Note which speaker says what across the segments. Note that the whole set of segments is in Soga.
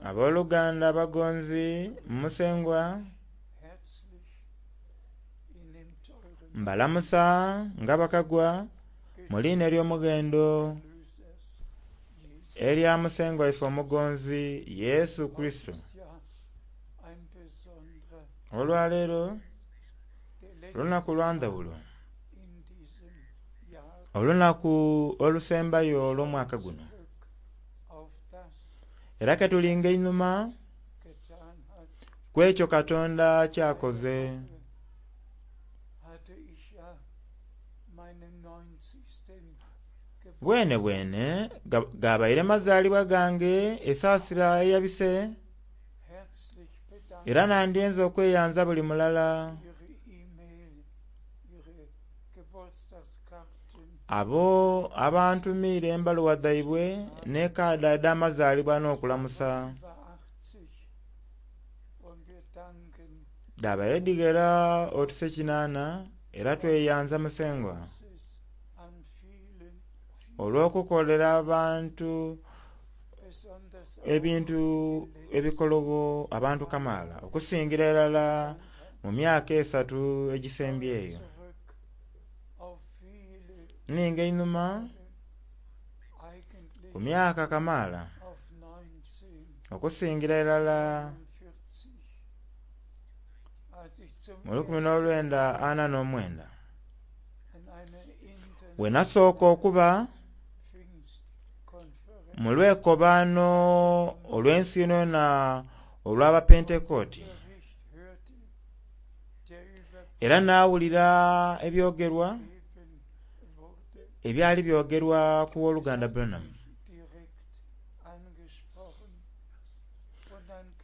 Speaker 1: Aboluganda abagonzi mu Musengwa, mbalamusa nga bakagwa mu liina ely'omughendo elya Musengwa waife omugonzi Yesu Kurisito. Olwaleero lunaku lwa ndhaghulo, olunaku olusembayo olw'omwaka guno. Era ketulinga einhuma ku ekyo Katonda kyakoze. Bwenebwene gabaire mazaalibwa gange esaasira eyabise, era nandyenze okweyanza buli mulala abo abantumiire embaluwa dhaibwe n'ekaada edh'amazaalibwa n'okulamusa. Dhabaire dhighera otuse kinana era tweyanza Musengwa olw'okukolera abantu ebintu ebikologho abantu kamaala okusingira irala mu myaka esatu egisembyeyo. Nninga einhuma ku myaka kamaala okusingira irala mu 1949 bwe nasooka okuba mu lwekobaano olw'ensi yonayona olw'Abapentekoti, era naawulira ebyogerwa ebyali byogerwa ku Woluganda Branham.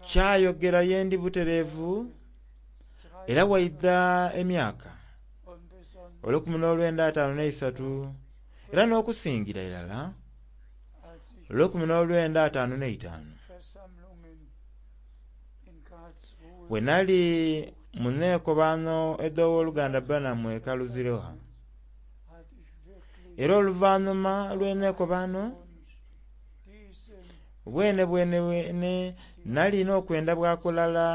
Speaker 1: Kyayogera yendi butereevu era waidha emyaka 1953 era n'okusingira irala 1955 bwe nali mu neekobaano edh'Owoluganda Branham e Kaluziroha. Era oluvanhuma lw'eneekobaano bwenebwene nali n'okwenda bwakulala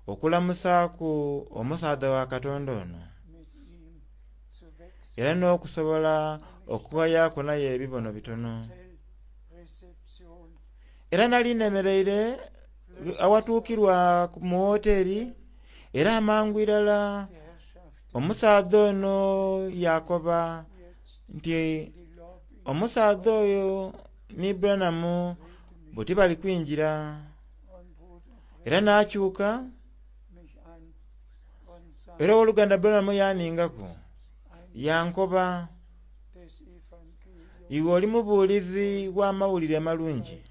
Speaker 1: okulamusaaku omusaadha wa Katonda ono era n'okusobola okughayaku naye ebibono bitono. Era nali nemereire awatuukirwa mu woteri era amangu irala omusaadha ono yakoba nti omusaadha oyo ni Branham buti bali kwingira. Era nakyuka era owoluganda Branham yaningaku yankoba, iwe oli mubuulizi wa mawulire malungi.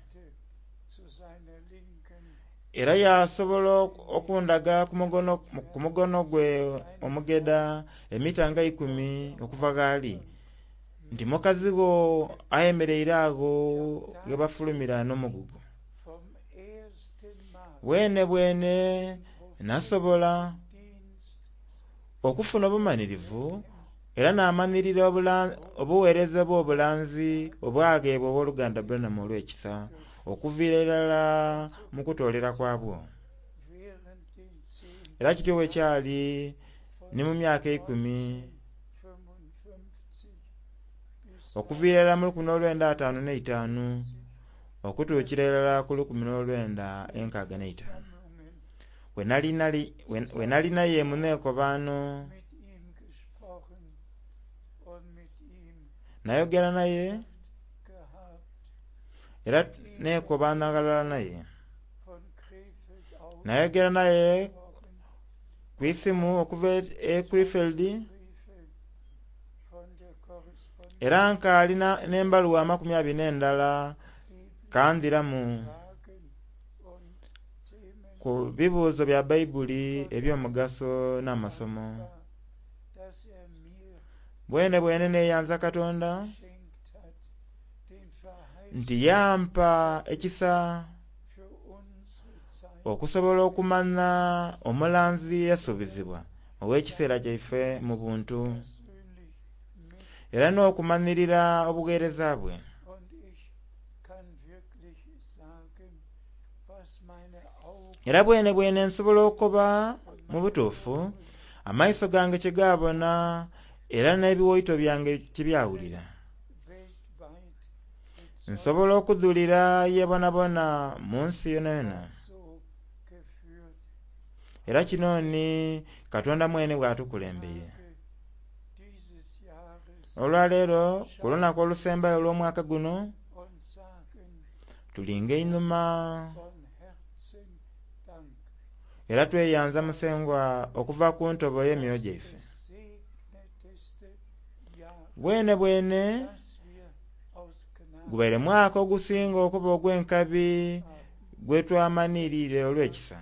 Speaker 1: Era yasobola okundaga ku mugono gwe omugedha emita nga ikumi okuva ghali nti mukazi gho ayemereire agho ghebafulumira n'omugugu. Bwenebwene nasobola okufuna obumanhirivu era namanhirira obugheereza obw'obulanzi obwagheebwa Owoluganda Branham olw'ekisa okuviira irala mu kutoolera kwabwo. Era kityo bwe kyali ni mu myaka eikumi okuviira irala mu 1955 okutuukira irala ku 1965 bwe nali naye mu neekobaano. Nayogera naye era neekobaana ghalala naye. Nayogera naye ku isimu okuva e Krefeld era nkaali n'embaluwa 21 kandhiramu ku bibuuzo bya Baibuli eby'omugaso n'amasomo. Bwenebwene neeyanza Katonda nti yampa ekisa okusobola okumanha omulanzi eyasuubizibwa ow'ekiseera kyaife mu buntu era n'okumanhirira obugheereza bwe. Era bwenebwene nsobola okukoba mu butuufu amaiso gange kye gaabona era n'ebiwaito byange kye byawulira. Nsobola okudhulira ye bonabona mu nsi yonayona. Era kino ni Katonda mwene bw'atukulembeire. Olwaleero ku lunaku olusembayo olw'omwaka guno, tulinga einhuma era tweyanza Musengwa okuva ku ntobo y'emyoyo gyaife. Bwenebwene gubaire mwaka ogusinga okuba ogw'enkabi gwetwamanhirire olw'ekisa.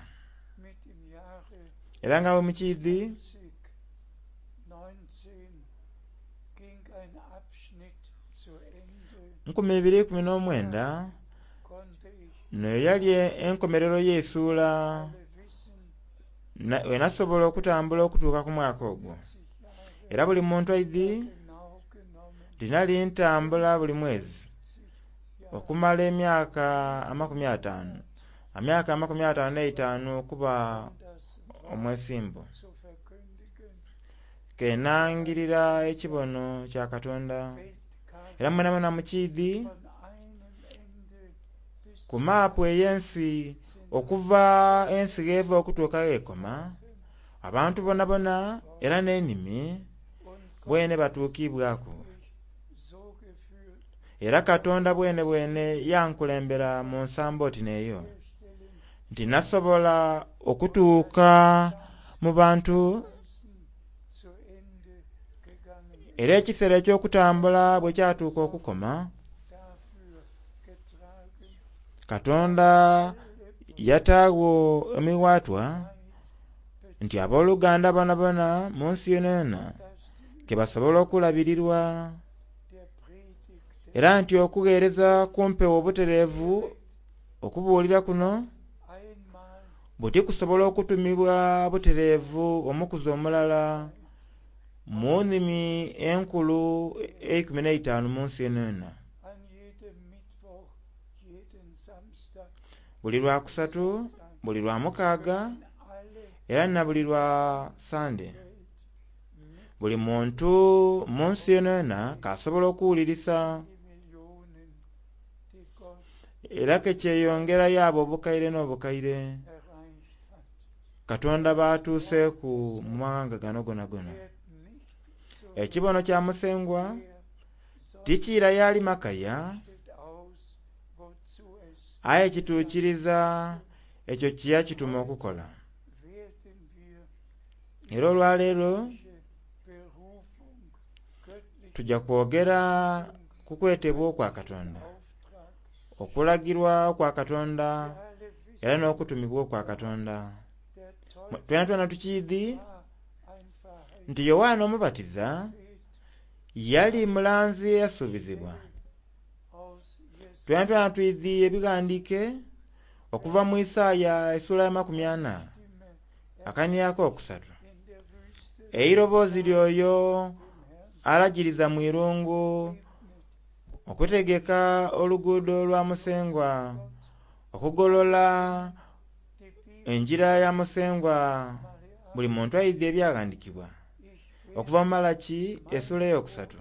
Speaker 1: Era nga bwe mukiidhi, 2019 n'eyali enkomerero y'eisuula wenasobola okutambula okutuuka ku mwaka ogwo. Era buli muntu aidhi nti nali ntambula buli mwezi okumala emyaka 50, emyaka 55 okuba omwesimbu. Kenangirira ekibono kya Katonda. Era mwenamwena mukiidhi ku maapu ey'ensi okuva ensi gh'eva okutuuka gh'ekoma, abantu bonabona era n'enimi bwene batuukibwaku. Era Katonda bwenebwene yankulembera mu nsambo oti n'eyo, nti nasobola okutuuka mu bantu era ekiseera eky'okutambula bwe kyatuuka okukoma, Katonda yataagho emiwaatwa nti abooluganda bonabona mu nsi yonayona ke basobola okulabirirwa, era nti okugheereza kumpewo obutereevu okubuulira kuno buti kusobola okutumibwa butereevu omukuzi omulala mu nnimi enkulu 15 mu nsi yonayona. Buli lwakusatu, buli lwa mukaaga, era na buli lwa Sande. Buli muntu mu nsi yonayona k'asobola okuwulirisa era ke kyeyongerayo abo obukaire n'obukaire Katonda b'atuuseeku mu maghanga gano gonagona. Ekibono kya Musengwa tikiira y'ali makaya, aye kituukiriza ekyo kye yakituma okukola. Era olwaleero tuja kwogera ku kwetebwa okwa Katonda, okulagirwa okwa Katonda, era n'okutumibwa okwa Katonda. Twenatwena tukiidhi nti Yoanne Omubatiza yali mulanzi eyasuubizibwa. Twenatwena twidhi ebighandiike okuva mu Isaaya esula ya 40 akania akokusatu. Eiroboozi ly'oyo alagiriza mu irungu okutegeka oluguudo lwa Musengwa, okugolola engira ya Musengwa. Buli muntu aidhi ebyaghandiikibwa okuva mu Malaki esula eyokusatu.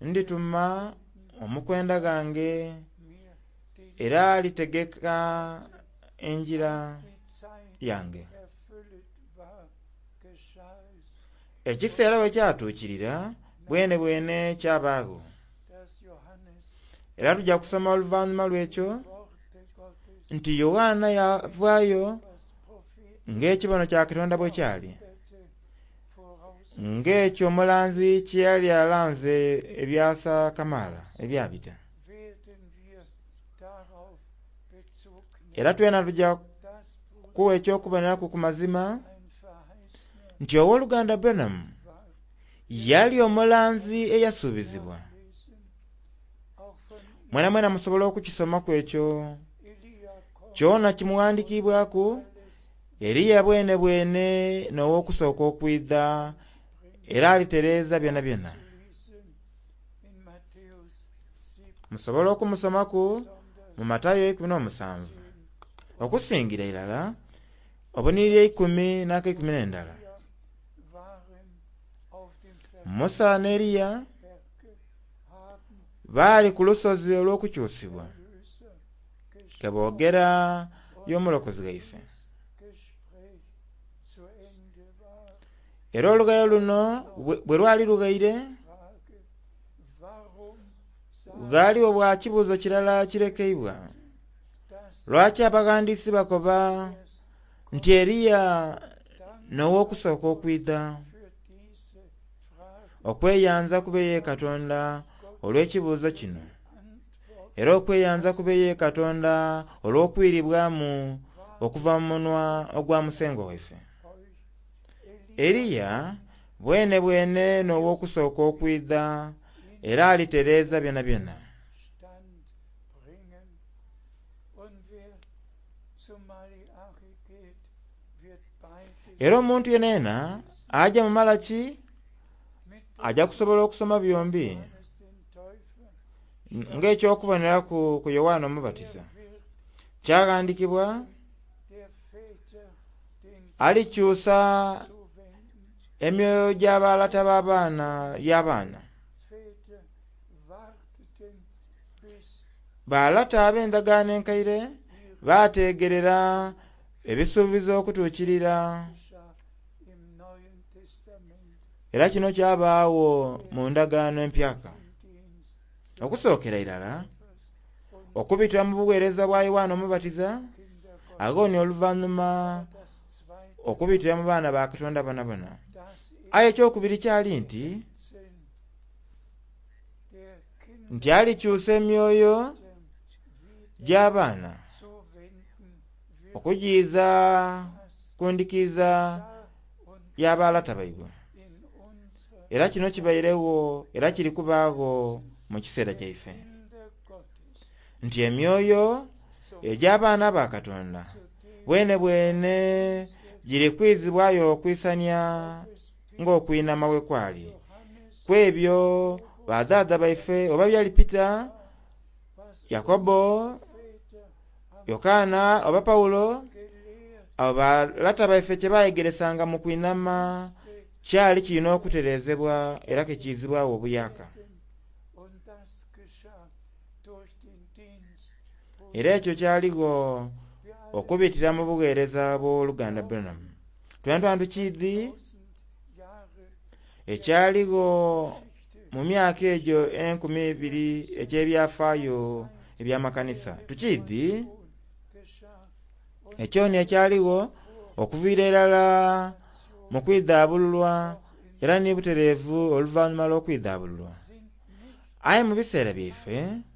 Speaker 1: Ndituma omukwenda ghange era alitegeka engira yange. Ekiseera bwe kyatuukirira bwenebwene kyabaagho. Era tuja kusoma oluvannyuma lw'ekyo nti Yoanna yavaayo ng'ekibono kya Katonda bwe kyali, ng'ekyo omulanzi kye yali alanze ebyasa kamaala ebyabita. Era twena tuja kuwa eky'okuboneraku ku mazima nti ow'oluganda Branham yali omulanzi eyasuubizibwa. Mwenamwena musobola okukisomaku ekyo kyona kimughandikiibwaku. Eliya bwenebwene n'ow'okusooka okwidha era alitereeza byonabyona. Musobola okumusomaku mu Matayo 17 okusingira irala obuniriri 10 n'aka 11. Musa ne Eriya baali ku lusozi olw'okukyusibwa ke boogera y'omulokozi waife. Era olugayo luno bwe lwali lughaire, ghaliwo bwa kibuuzo kirala kirekeibwa. Lwaki abaghandiisi bakoba nti Eriya n'ow'okusooka okwidha? Okweyanza kube ye Katonda olw'ekibuuzo kino, era okweyanza kube ye Katonda olw'okwiribwamu okuva mu munwa ogwa Musengwa waife. Eriya bwene bwene n'ow'okusooka okwidha era alitereeza byonabyona. Era omuntu yenayena aja mu Malaki aja kusobola okusoma byombi ng'ekyokuboneraku ku Yowaana Omubatiza. Kyaghandikibwa alikyusa emyoyo gy'abalata b'abaana y'abaana. Balata ab'endagaano enkaire baategerera ebisuubizo okutuukirira, era kino kyabaagho mu ndagaano empyaka. Okusookera irala okubitira mu buweereza bwa Yowaana Omubatiza, agho ni oluvannyuma okubitira mu baana ba Katonda bonabona. Aye ekyokubiri kyali nti alikyusa emyoyo gy'abaana okugiiza ku ndikiiza y'abalata baibwe. Era kino kibairegho era kiri kubaagho mu kiseera kyaife, nti emyoyo egy'abaana ba Katonda bwene bwene giri kwizibwayo okwisania ng'okwinama bwe kwali kwebyo badhaadha baife oba byali Pita, Yakobo, Yokaana oba Pawulo, abo balata baife kye bayegeresanga mu kwinama kyali kirina okutereezebwa era kekiizibwawo obuyaka. Era ekyo kyaligho okubitira mu bugheereza bw'oluganda Branham. Twena twena tukiidhi ekyaligho mu myaka egyo 2000 eky'ebyafaayo eby'amakanisa. Tukiidhi ekyoni ekyaligho okuviira irala mu kwidhaabululwa era ni butereevu oluvannyuma lw'okwidhaabululwa. Aye mu biseera byaife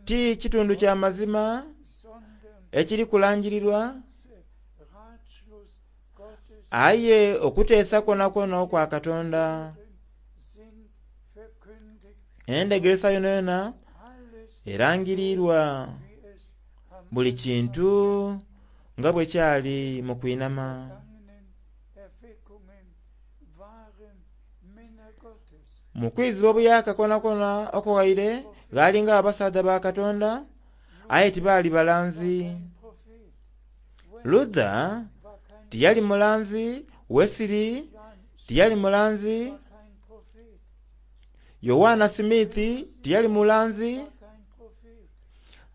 Speaker 1: ti kitundu kya mazima ekiri kulangirirwa, aye okuteesa kwonakwona okwa Katonda, endegeresa yonayona erangirirwa buli kintu nga bwe kyali mu kwinama. Mu kwizibwa obuyaka kwonakwona okughaire ghalinga abasaadha ba Katonda, aye tibaali balanzi. Luther tiyali mulanzi, Wesley tiyali mulanzi, Yowaana Smith tiyali mulanzi,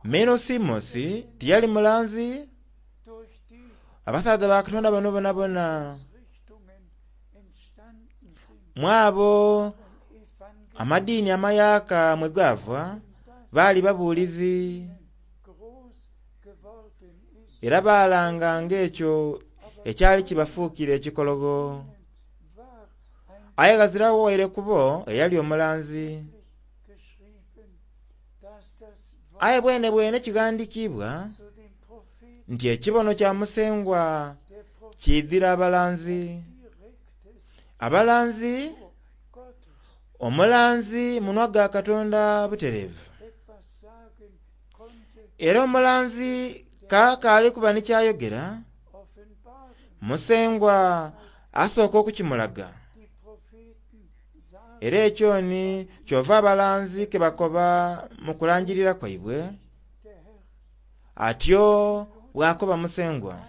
Speaker 1: Meno Simosi tiyali mulanzi. Abasaadha ba Katonda bano bonabona mwabo amadiini amayaka mwe gava baali babuulizi era baalanganga ekyo ekyali kibafuukira ekikologo. Aye ghazirawo waire kubo eyali omulanzi. Aye bwene bwene kighandiikibwa nti ekibono kya Musengwa kiidhira abalanzi. Abalanzi, omulanzi munwa gwa Katonda butereevu. Era omulanzi kaakaali kuba ni kyayogera, Musengwa asooka okukimulaga. Era ekyoni kyova abalanzi ke bakoba mu kulangirira kwaibwe, atyo bw'akoba Musengwa.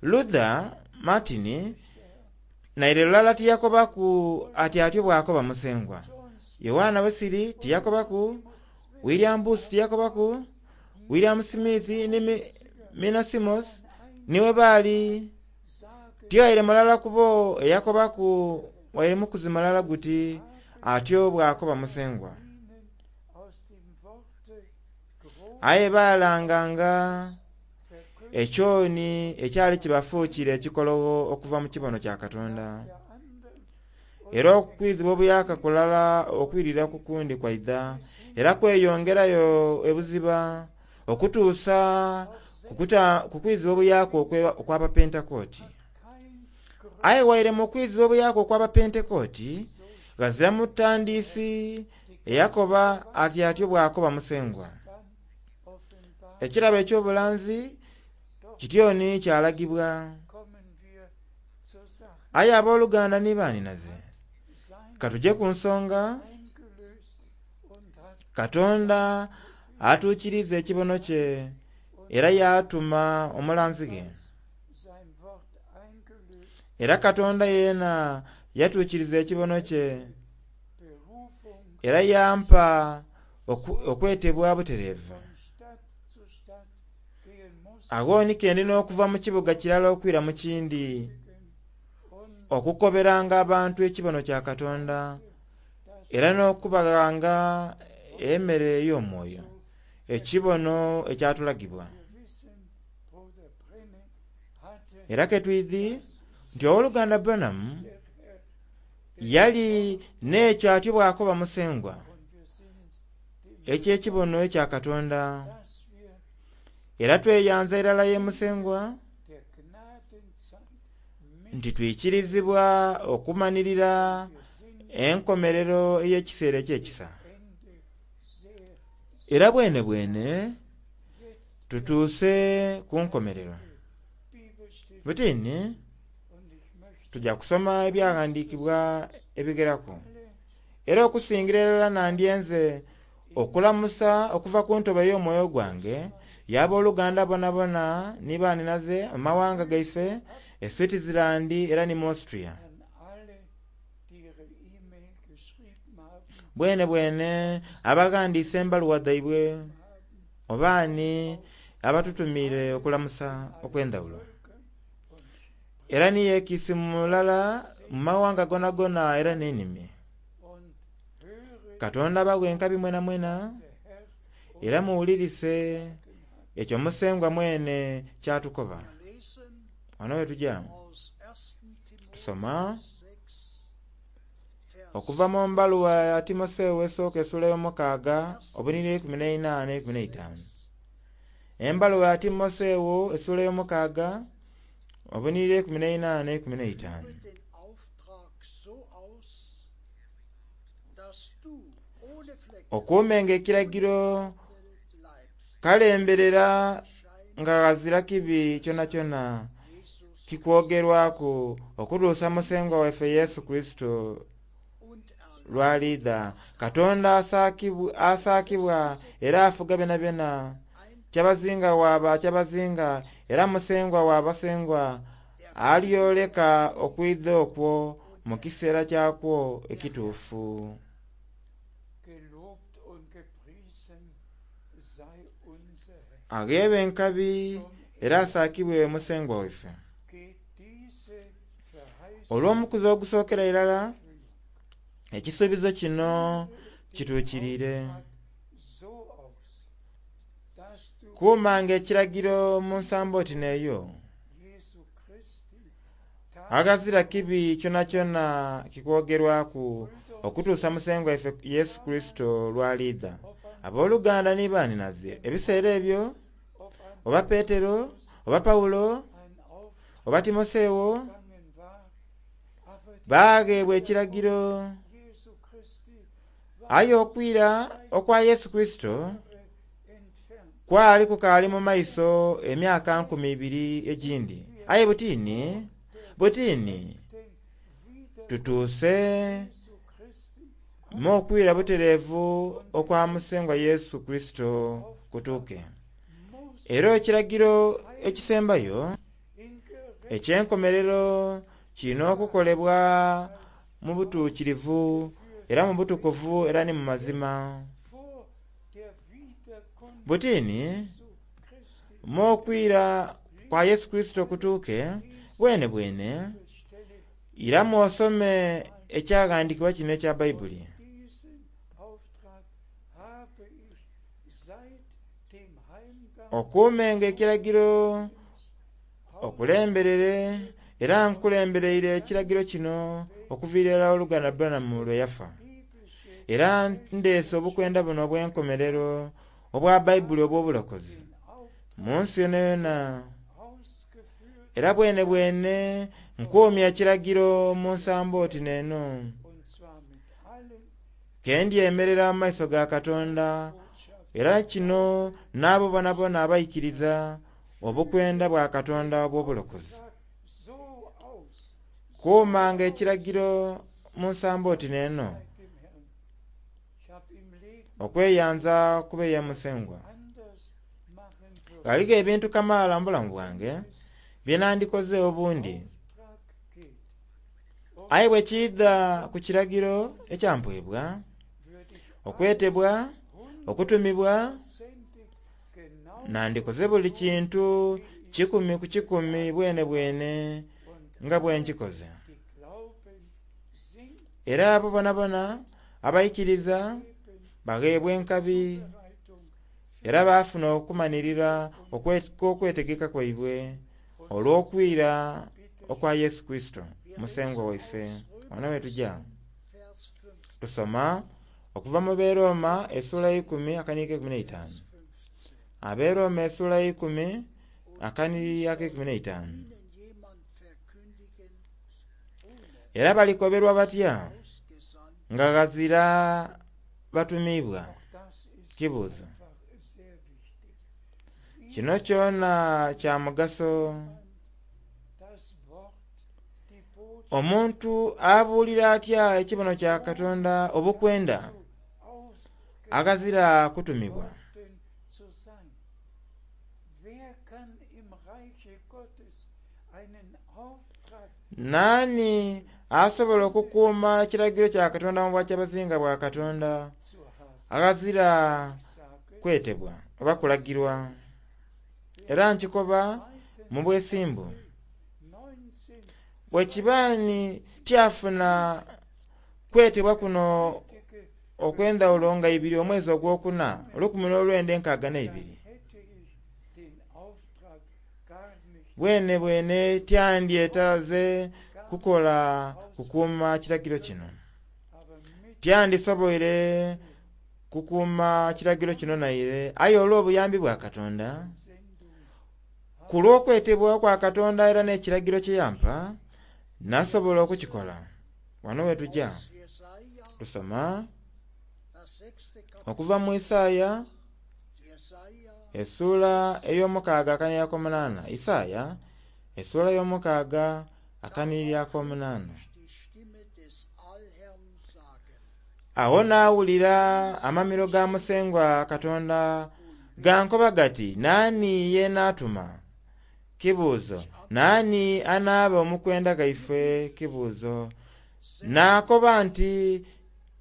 Speaker 1: Luther Martin naire lulala tiyakobaku ati atyo bw'akoba Musengwa. Yowaana Wesili tiyakobaku, William Booth tiyakobaku, William Smith ni Mina Simos niwe baali tiwaire mulala kubo eyakobaku waire mukuzi mulala guti atyo bw'akoba Musengwa. Aye baalanganga ekyoni ekyali kibafuukire ekikologho okuva mu kibono kya Katonda. Era okwizibwa obuyaka kulala okwirira ku kundi kwaidha, era kweyongerayo ebuziba okutuusa ku kwizibwa obuyaka okw'Abapentekooti. Aye waire mu kwizibwa obuyaka okw'Abapentekooti, ghazira mutandiisi eyakoba ati atyo bw'akoba Musengwa. Ekirabo eky'obulanzi kityoni kyalagibwa. Aye abooluganda ni baaninaze, katuje ku nsonga. Katonda atuukiriza ekibono kye era yaatuma omulanzi ghe. Era Katonda yeena yatuukiriza ekibono kye era yampa okwetebwa butereevu. Agho ni ke ndi n'okuva mu kibuga kirala okwira mu kindi, okukoberanga abantu ekibono kya Katonda, era n'okubaghanga emmere ey'omwoyo, ekibono ekyatulagibwa. Era ke twidhi nti owooluganda Branham yali n'ekyo atyo bw'akoba Musengwa, eky'ekibono ekya Katonda. Era tweyanza irala ye Musengwa nti twikirizibwa okumanirira enkomerero ey'ekiseera eky'ekisa. Era bwene bwene tutuuse ku nkomerero. Butini tujja kusoma ebyaghandiikibwa ebigeraku. Era okusingira irala nandyenze okulamusa okuva ku ntobo ey'omwoyo gwange y'abooluganda bonabona ni baaninaze mu mawanga gaife e Switzerland era ni mu Austria. Bwene bwene abaghandiise embaluwa dhaibwe obaani abatutumiire okulamusa okw'endhawulo. Era ni yekiisi mulala mu mawanga gonagona era n'enimi. Katonda abaghe enkabi mwena mwena, era muwulirise ekyo Musengwa mwene kyatukoba. Wano we tuja tusoma okuva mu mbaluwa ya Timotheo esooka essuula y'omukaaga obuniri 14 n'e15. Embaluwa ya Timotheo essuula y'omukaaga obuniri 14 n'e15. Okuumenga ekiragiro kalemberera nga ghazira kibi kyonakyona kikwogerwaku okutuusa Musengwa waife Yesu Kristo lw'aliidha. Katonda asaakibwa era afuga byonabyona. Kyabazinga waba kyabazinga era Musengwa w'abasengwa alyoleka okwidha okwo mu kiseera kyakwo ekituufu. Aghebe enkabi era asaakibwe Musengwa waife. Olw'omukuzi ogusookera irala, ekisuubizo kino kituukiriire. Kuumanga ekiragiro mu nsambo oti n'eyo. Aghazira kibi kyonakyona kikwogerwaku okutuusa Musengwa waife Yesu Kristo lw'aliidha. Abooluganda ni baaninaze ebiseera ebyo, oba Petero, oba Pawulo, oba Timotheo, baagheebwa ekiragiro. Aye okwira okwa Yesu Kristo kwali kukaali mu maiso emyaka 2000 egindi. Aye butini, butini tutuuse Me okwira butereevu okwa Musengwa Yesu Kurisito kutuuke. Era ekiragiro ekisembayo eky'enkomerero kirina okukolebwa mu butuukirivu era mu butukuvu era ni mu mazima. Butini mu okwira kwa Yesu Kurisito kutuuke, bwene bwene iramu osome ekyaghandiikibwa kino ekya Baibuli. Okuumenga ekiragiro, okulemberere, era nkulembereire ekiragiro kino okuviira irala oluganda Branham lwe yafa. Era ndeese obukwenda buno obw'enkomerero obwa Baibuli obw'obulokozi mu nsi yonayona. Era bwene bwene nkuumya ekiragiro mu nsambo oti n'eno, ke ndyemerera mu maiso ga Katonda, era kino n'abo bonabona abaikiriza obukwenda bwa Katonda obw'obulokozi. Kuumanga ekiragiro mu nsambo oti n'eno, okweyanza kube ye Musengwa. Ghaligho ebintu kamaala mu bulamu bwange bye nandikoze obundi, aye bwe kiidha ku kiragiro ekyampwebwa, okwetebwa, okutumibwa, nandikoze buli kintu 100 ku 100 bwene bwene nga bwe nkikoze. Era abo bonabona abaikiriza bagheebwa enkabi era baafuna okumanirira okw'okwetegeka kwaibwe olw'okwira okwa Yesu Kurisito Musengwa waife. Wano we tuja tusoma okuva mu Beroma essuula eikumi akanhiriri ak'eikumi n'eitaanu. Aberoma essuula eikumi akanhiriri ak'eikumi n'eitaanu. Era balikoberwa batya nga ghazira batumiibwa? Kibuuzo. Kino kyona kya mugaso. Omuntu abuulira atya ekibono kya Katonda obukwenda aghazira kutumibwa? Naani asobola okukuuma ekiragiro kya Katonda mu bwakyabazinga bwa Katonda aghazira kwetebwa oba kulagirwa? Era nkikoba mu bwesimbu, bwe kiba ni tyafuna kwetebwa kuno okw'endhawulo nga ibiri omwezi ogwokuna 1962, bwene bwene tyandyetaaze kukola kukuuma kiragiro kino. Tyandisoboire kukuuma kiragiro kino naire, aye olw'obuyambi bwa Katonda, ku lw'okwetebwa kwa Katonda era n'ekiragiro kye yampa, nasobola okukikola. Wano we tuja tusoma okuva mu Isaaya essuula ey'omukaaga akanhiriri ak'omunaana. Isaaya essuula ey'omukaaga akanhiriri ak'omunaana. Agho naawulira amamiro ga Musengwa Katonda gankoba gati, Naani ye naatuma? Kibuuzo. Naani anaaba omukwenda ghaife? Kibuuzo. Naakoba nti,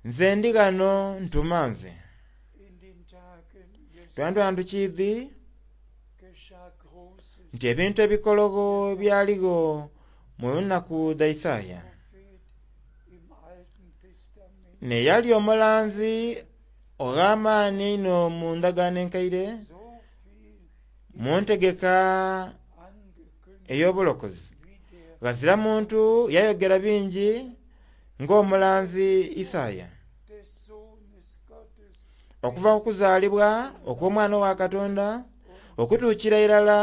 Speaker 1: Nze ndi ghano, ntuma nze. Twandhwa tukiidhi nti ebintu ebikologho byaligho mu nnaku dha Isaaya. N'eyali omulanzi ogh'amaani einho mu ndagaano enkaire, mu ntegeka ey'obulokozi, ghazira muntu yayogera bingi ng'omulanzi Isaaya. Okuva ku kuzaalibwa okw'Omwana wa Katonda okutuukira irala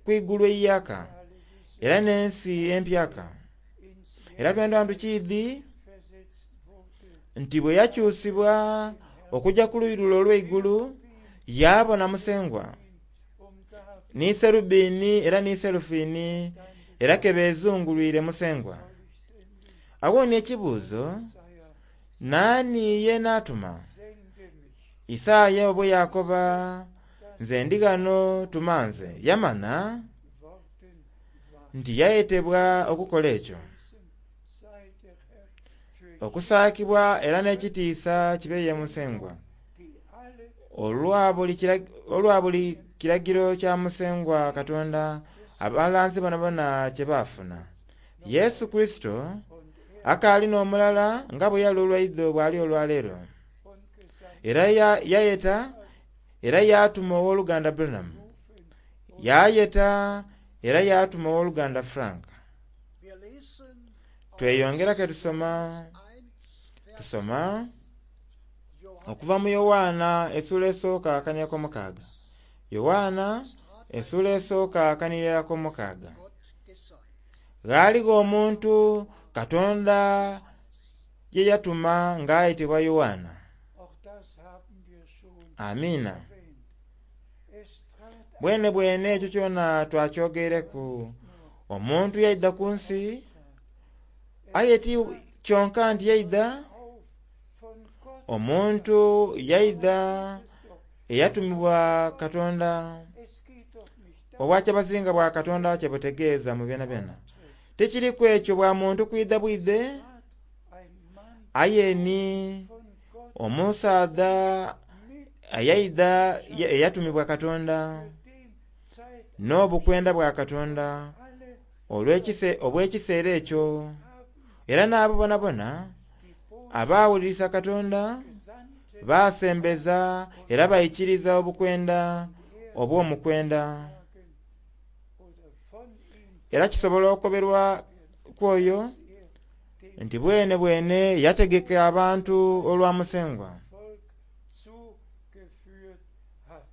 Speaker 1: ku igulu eiyaaka era n'ensi empyaka. Era twendha tukiidhi nti bwe yakyusibwa okuja ku luuyi lule olw'eigulu, yaabona Musengwa ni Serubini era ni Serufini, era ke beezungulwire Musengwa. Agho ni ekibuuzo Naani ye naatuma? Isaaya bwe yakoba, nze ndi ghano tuma nze. Yamana nti yayetebwa okukola ekyo. Okusaakibwa era n'ekitiisa kibe ye Musengwa. Olwa buli kiragiro kya Musengwa Katonda abalanzi bonabona kye baafuna. Yesu Kurisito akaali n'omulala nga bwe yali olwaidho bw'ali olwaleero. Era yayeta era yaatuma ow'oluganda Branham. Yayeta era yaatuma ow'oluganda Frank.
Speaker 2: Wir lesen aus
Speaker 1: Tweyongera ke tusoma
Speaker 2: 1, Vers
Speaker 1: tusoma
Speaker 2: 6.
Speaker 1: okuva mu Yowaana essuula esooka akanira mukaaga. Yowaana essuula esooka akanira mukaaga.
Speaker 2: Gott gesandt.
Speaker 1: Ghaaligho omuntu Katonda ye yatuma ng'ayetebwa Yowaana.
Speaker 3: Auch das haben wir schon
Speaker 1: Amiina.
Speaker 3: erwähnt. Es trat
Speaker 1: Bwene bwene ekyo kyona twakyogereku. Omuntu yaidha ku nsi, aye ti kyonka nti yaidha,
Speaker 3: auf von Gott.
Speaker 1: omuntu yaidha
Speaker 3: Es doch,
Speaker 1: eyatumibwa Katonda.
Speaker 3: es geht doch nicht
Speaker 1: Obwakyabazinga bwa Katonda kye butegeeza mu byona byona. Tekiriku ekyo bwa muntu kwidha bwidhe,
Speaker 3: ein Mann
Speaker 1: aye ni
Speaker 3: von Gott
Speaker 1: omusaadha
Speaker 3: mit
Speaker 1: eyaidha eyatumibwa Katonda
Speaker 3: den Zeit
Speaker 1: n'obukwenda bwa Katonda
Speaker 3: alle
Speaker 1: obw'ekiseera ekyo. Era n'abo bonabona
Speaker 3: die Botschaft
Speaker 1: abaawulirisa Katonda
Speaker 3: gesandte
Speaker 1: baasembeza era baikiriza obukwenda obw'omukwenda.
Speaker 3: sagen oder von ihm
Speaker 1: Era kisobola okukoberwa ku oyo
Speaker 3: er dem
Speaker 1: nti bwene bwene yategeka abantu olwa Musengwa.
Speaker 3: Volk zugeführt hat.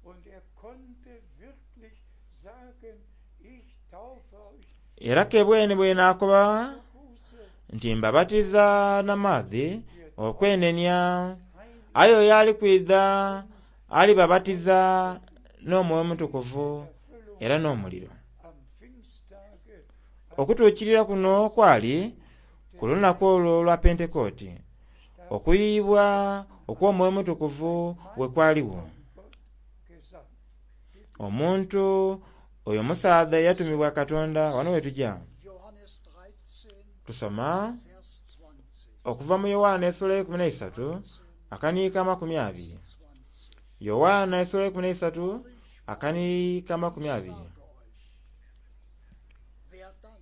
Speaker 3: Und er konnte wirklich sagen, ich taufe euch
Speaker 1: Era ke bwene bwene akoba
Speaker 3: zur Buße,
Speaker 1: nti mbabatiza n'amaadhi okwenenya, aye oyo ali kwidha alibabatiza n'Omwoyo Omutukuvu era n'omuliro.
Speaker 3: am Pfingsttage
Speaker 1: Okutuukirira kuno kwali ku lunaku olwo olwa Pentekooti, okuyiyibwa okw'Omwoyo Omutukuvu bwe kwaliwo.
Speaker 3: Gott gesandt.
Speaker 1: Omuntu oyo musaadha eyatumibwa Katonda, wano we tujja
Speaker 2: Johannes 13,
Speaker 1: tusoma
Speaker 2: Vers 20.
Speaker 1: okuva mu Yowaana essula ey'ekumi n'eisatu akaniika 20.
Speaker 2: 20.
Speaker 1: Yowaana essula ey'ekumi n'eisatu akaniika 20.
Speaker 2: Sage euch, wer dann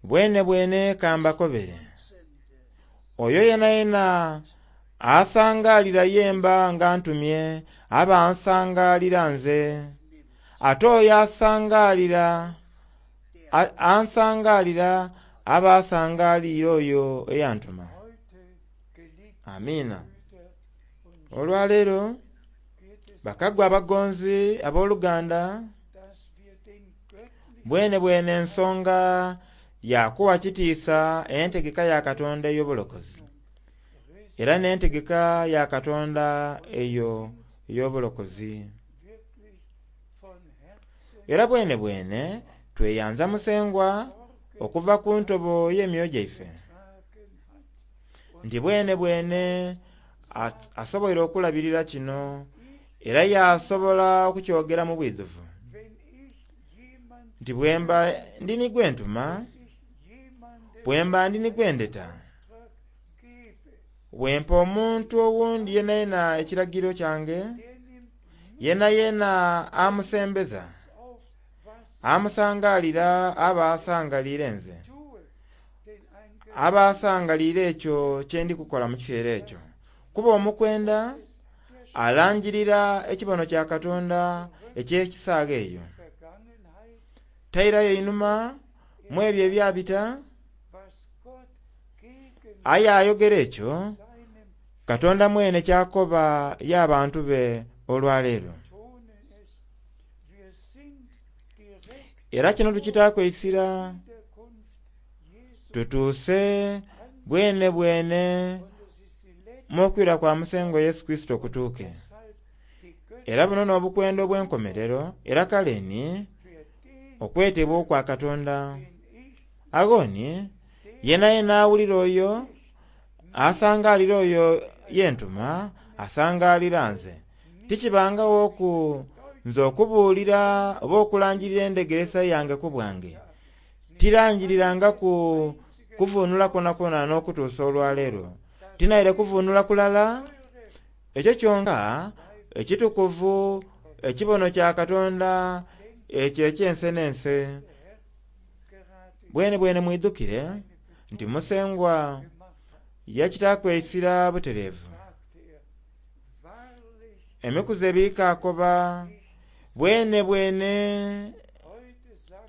Speaker 1: Bwene bwene kambakobere,
Speaker 2: sende,
Speaker 1: oyo yena yena asangaalira yemba nga ntumye, aba ansangaalira nze.
Speaker 2: nimmt,
Speaker 1: Ate oyo asangaalira
Speaker 2: der
Speaker 1: ansangaalira aba asangaaliire oyo eyantuma.
Speaker 3: Heute, geliebte
Speaker 1: Amiina.
Speaker 3: Brüder und
Speaker 1: Olwaleero
Speaker 3: geht es,
Speaker 1: bakagwa abagonzi abooluganda,
Speaker 3: dass wir den göttlichen
Speaker 1: bwene bwene ensonga yakuwa kitiisa entegeka ya Katonda ey'obulokozi era n'entegeka ya Katonda eyo ey'obulokozi.
Speaker 3: wirklich von Herzen
Speaker 1: Era bwene bwene tweyanza Musengwa okuva ku ntobo y'emyoyo gyaife
Speaker 3: getragen hat.
Speaker 1: nti bwene bwene asoboire okulabirira kino era yasobola okukyogera mu bwidhuvu
Speaker 3: Wenn ich jemand,
Speaker 1: nti bwemba ndi ni gwe ntuma,
Speaker 3: ich jemandem
Speaker 1: bwemba ndi ni gwe ndeta,
Speaker 3: Auftrag gebe,
Speaker 1: bwempa omuntu owundi yena yena ekiragiro kyange,
Speaker 3: der nimmt
Speaker 1: yena yena amusembeza,
Speaker 3: auf, was
Speaker 1: amusangaalira aba asangaliire nze,
Speaker 3: tue, denn ein
Speaker 1: aba asangaliire ekyo kye ndi kukola mu kiseera ekyo. Kuba omukwenda alangirira ekibono kya Katonda eky'ekisaaga eyo.
Speaker 3: Vergangenheit,
Speaker 1: Tairayo einhuma mu ebyo ebyabita,
Speaker 3: was Gott gegen
Speaker 1: aye ayogera ekyo
Speaker 3: seinem
Speaker 1: Katonda mwene kyakoba y'abantu be olwaleero.
Speaker 3: Tonen es. Wir sind direkt
Speaker 1: Era kino tukitaaku eisira
Speaker 3: Wiederkunft Jesu
Speaker 1: tutuuse bwene bwene
Speaker 3: und es ist die letzte
Speaker 1: mu okwira kwa Musengwa Yesu Kristo okutuuke.
Speaker 3: Deshalb die
Speaker 1: Era buno n'obukwenda obw'enkomerero era kale ni
Speaker 3: für den,
Speaker 1: okwetebwa okwa Katonda.
Speaker 3: den ich
Speaker 1: Agho ni yena yena awulira oyo Asangalira oyo yentuma asangalira nze. Tikibangawo ku nze okubuulira oba okulanjirira endegeresa yange ku bwange. Tiranjirirangaku kuvunula kwona n'okutuusa olwaleero. Tinaire kuvunula kulala ekyo kyonka ekitukuvu ekibono kya Katonda ekyo ekyense n'ense. Bwene bwene mwidukire nti Musengwa yakitaaku eisira butereevu. Emikuzi ebiri kaakoba bwene bwene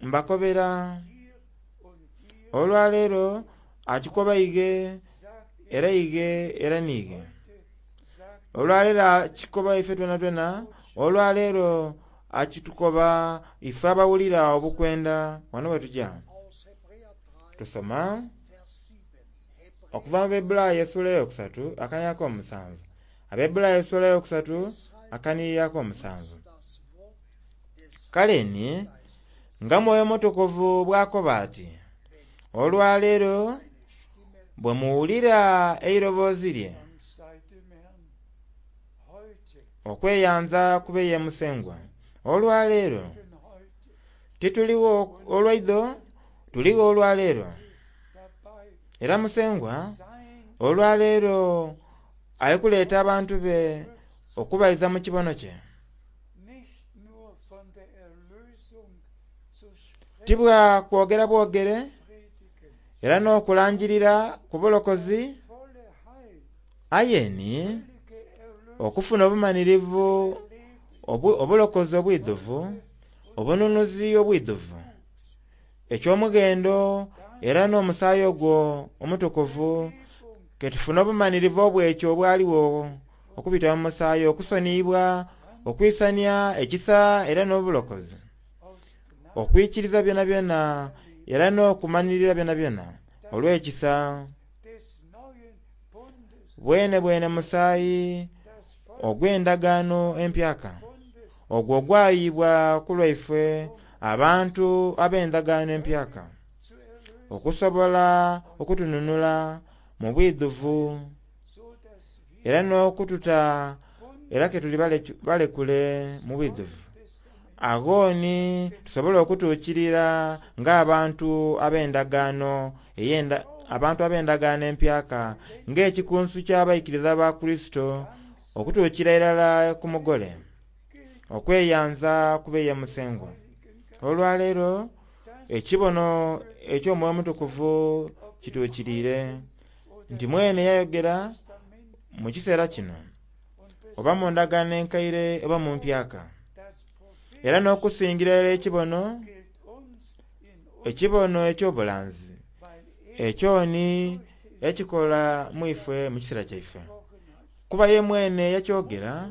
Speaker 1: mbakobera olwaleero akikoba ige era ige era niige. Olwaleero akikoba ife twenatwena, olwaleero akitukoba ife abawulira obukwenda wano wetuja.
Speaker 2: Aus Hebräer 3,
Speaker 1: Tusoma
Speaker 2: Vers 7.
Speaker 1: okuva mu Abaebbulaayo essula eyokusatu akanira ak'omusanvu. Abaebbulaayo essula eyokusatu akanirira ak'omusanvu.
Speaker 2: Das Wort des
Speaker 1: Kale ni
Speaker 2: Geistes,
Speaker 1: nga Mwoyo Mutukuvu bw'akoba ati, olwaleero
Speaker 2: seine Stimme
Speaker 1: bwe muwulira eiroboozi lye
Speaker 3: Dank sei dem Herrn. Heute,
Speaker 1: okweyanza kube ye Musengwa. Olwaleero
Speaker 3: denn heute
Speaker 1: tituliwo olwaidho, tuligho olwaleero.
Speaker 3: dabei
Speaker 1: Era Musengwa
Speaker 3: sein
Speaker 1: olwaleero ali kuleeta abantu be okubaiza mu kibono kye.
Speaker 3: nicht nur von der Erlösung zu sprechen,
Speaker 1: Tibwa kwogera bwogere
Speaker 3: predigen,
Speaker 1: era n'okulanjirira ku bulokozi
Speaker 3: volle Heil,
Speaker 1: aye ni
Speaker 3: völlige Erlösung
Speaker 1: okufuna obumanirivu
Speaker 3: erleben,
Speaker 1: obulokozi obwidhuvu, obununuzi obwidhuvu, eky'omughendo era n'omusaayi ogwo omutukuvu ke tufune obumanirivu obw'ekyo obwaliwo okubita mu musaayi okusoniyibwa, okwisania ekisa era n'obulokozi,
Speaker 3: aus Gnade
Speaker 1: okwikiriza byonabyona era n'okumanirira byonabyona olw'ekisa
Speaker 3: des neuen Bundes,
Speaker 1: bwene bwene musaayi
Speaker 3: das Volk
Speaker 1: ogw'endagaano empyaka
Speaker 3: Bundes
Speaker 1: ogwo ogwayibwa ku lwaife abantu ab'endagaano empyaka
Speaker 3: zu erlösen,
Speaker 1: okusobola okutununula mu bwidhuvu
Speaker 3: so dass wir
Speaker 1: era n'okututa
Speaker 3: Bund
Speaker 1: era ke tuli balekule mu bwidhuvu.
Speaker 3: Testament
Speaker 1: Agho ni tusobole okutuukirira ng'abantu ab'endagaano eyenda abantu ab'endagaano empyaka ng'ekikunsu ky'abaikiriza ba Kurisito okutuukira irala ku mugole okweyanza kube ye Musengwa. Olwaleero ekibono eky'Omwoyo Omutukuvu kituukiriire nti mwene yayogera
Speaker 3: Testament
Speaker 1: mu kiseera kino
Speaker 3: und
Speaker 1: oba mu ndagaano enkaire oba mu mpyaka.
Speaker 3: das Prophet
Speaker 1: Era n'okusingira irala ekibono,
Speaker 3: gilt uns in uns,
Speaker 1: ekibono eky'obulanzi
Speaker 3: weil er
Speaker 1: ekyo ni ekikola mu ife mu kiseera kyaife.
Speaker 3: gesprochen hat,
Speaker 1: Kuba ye mwene yakyogera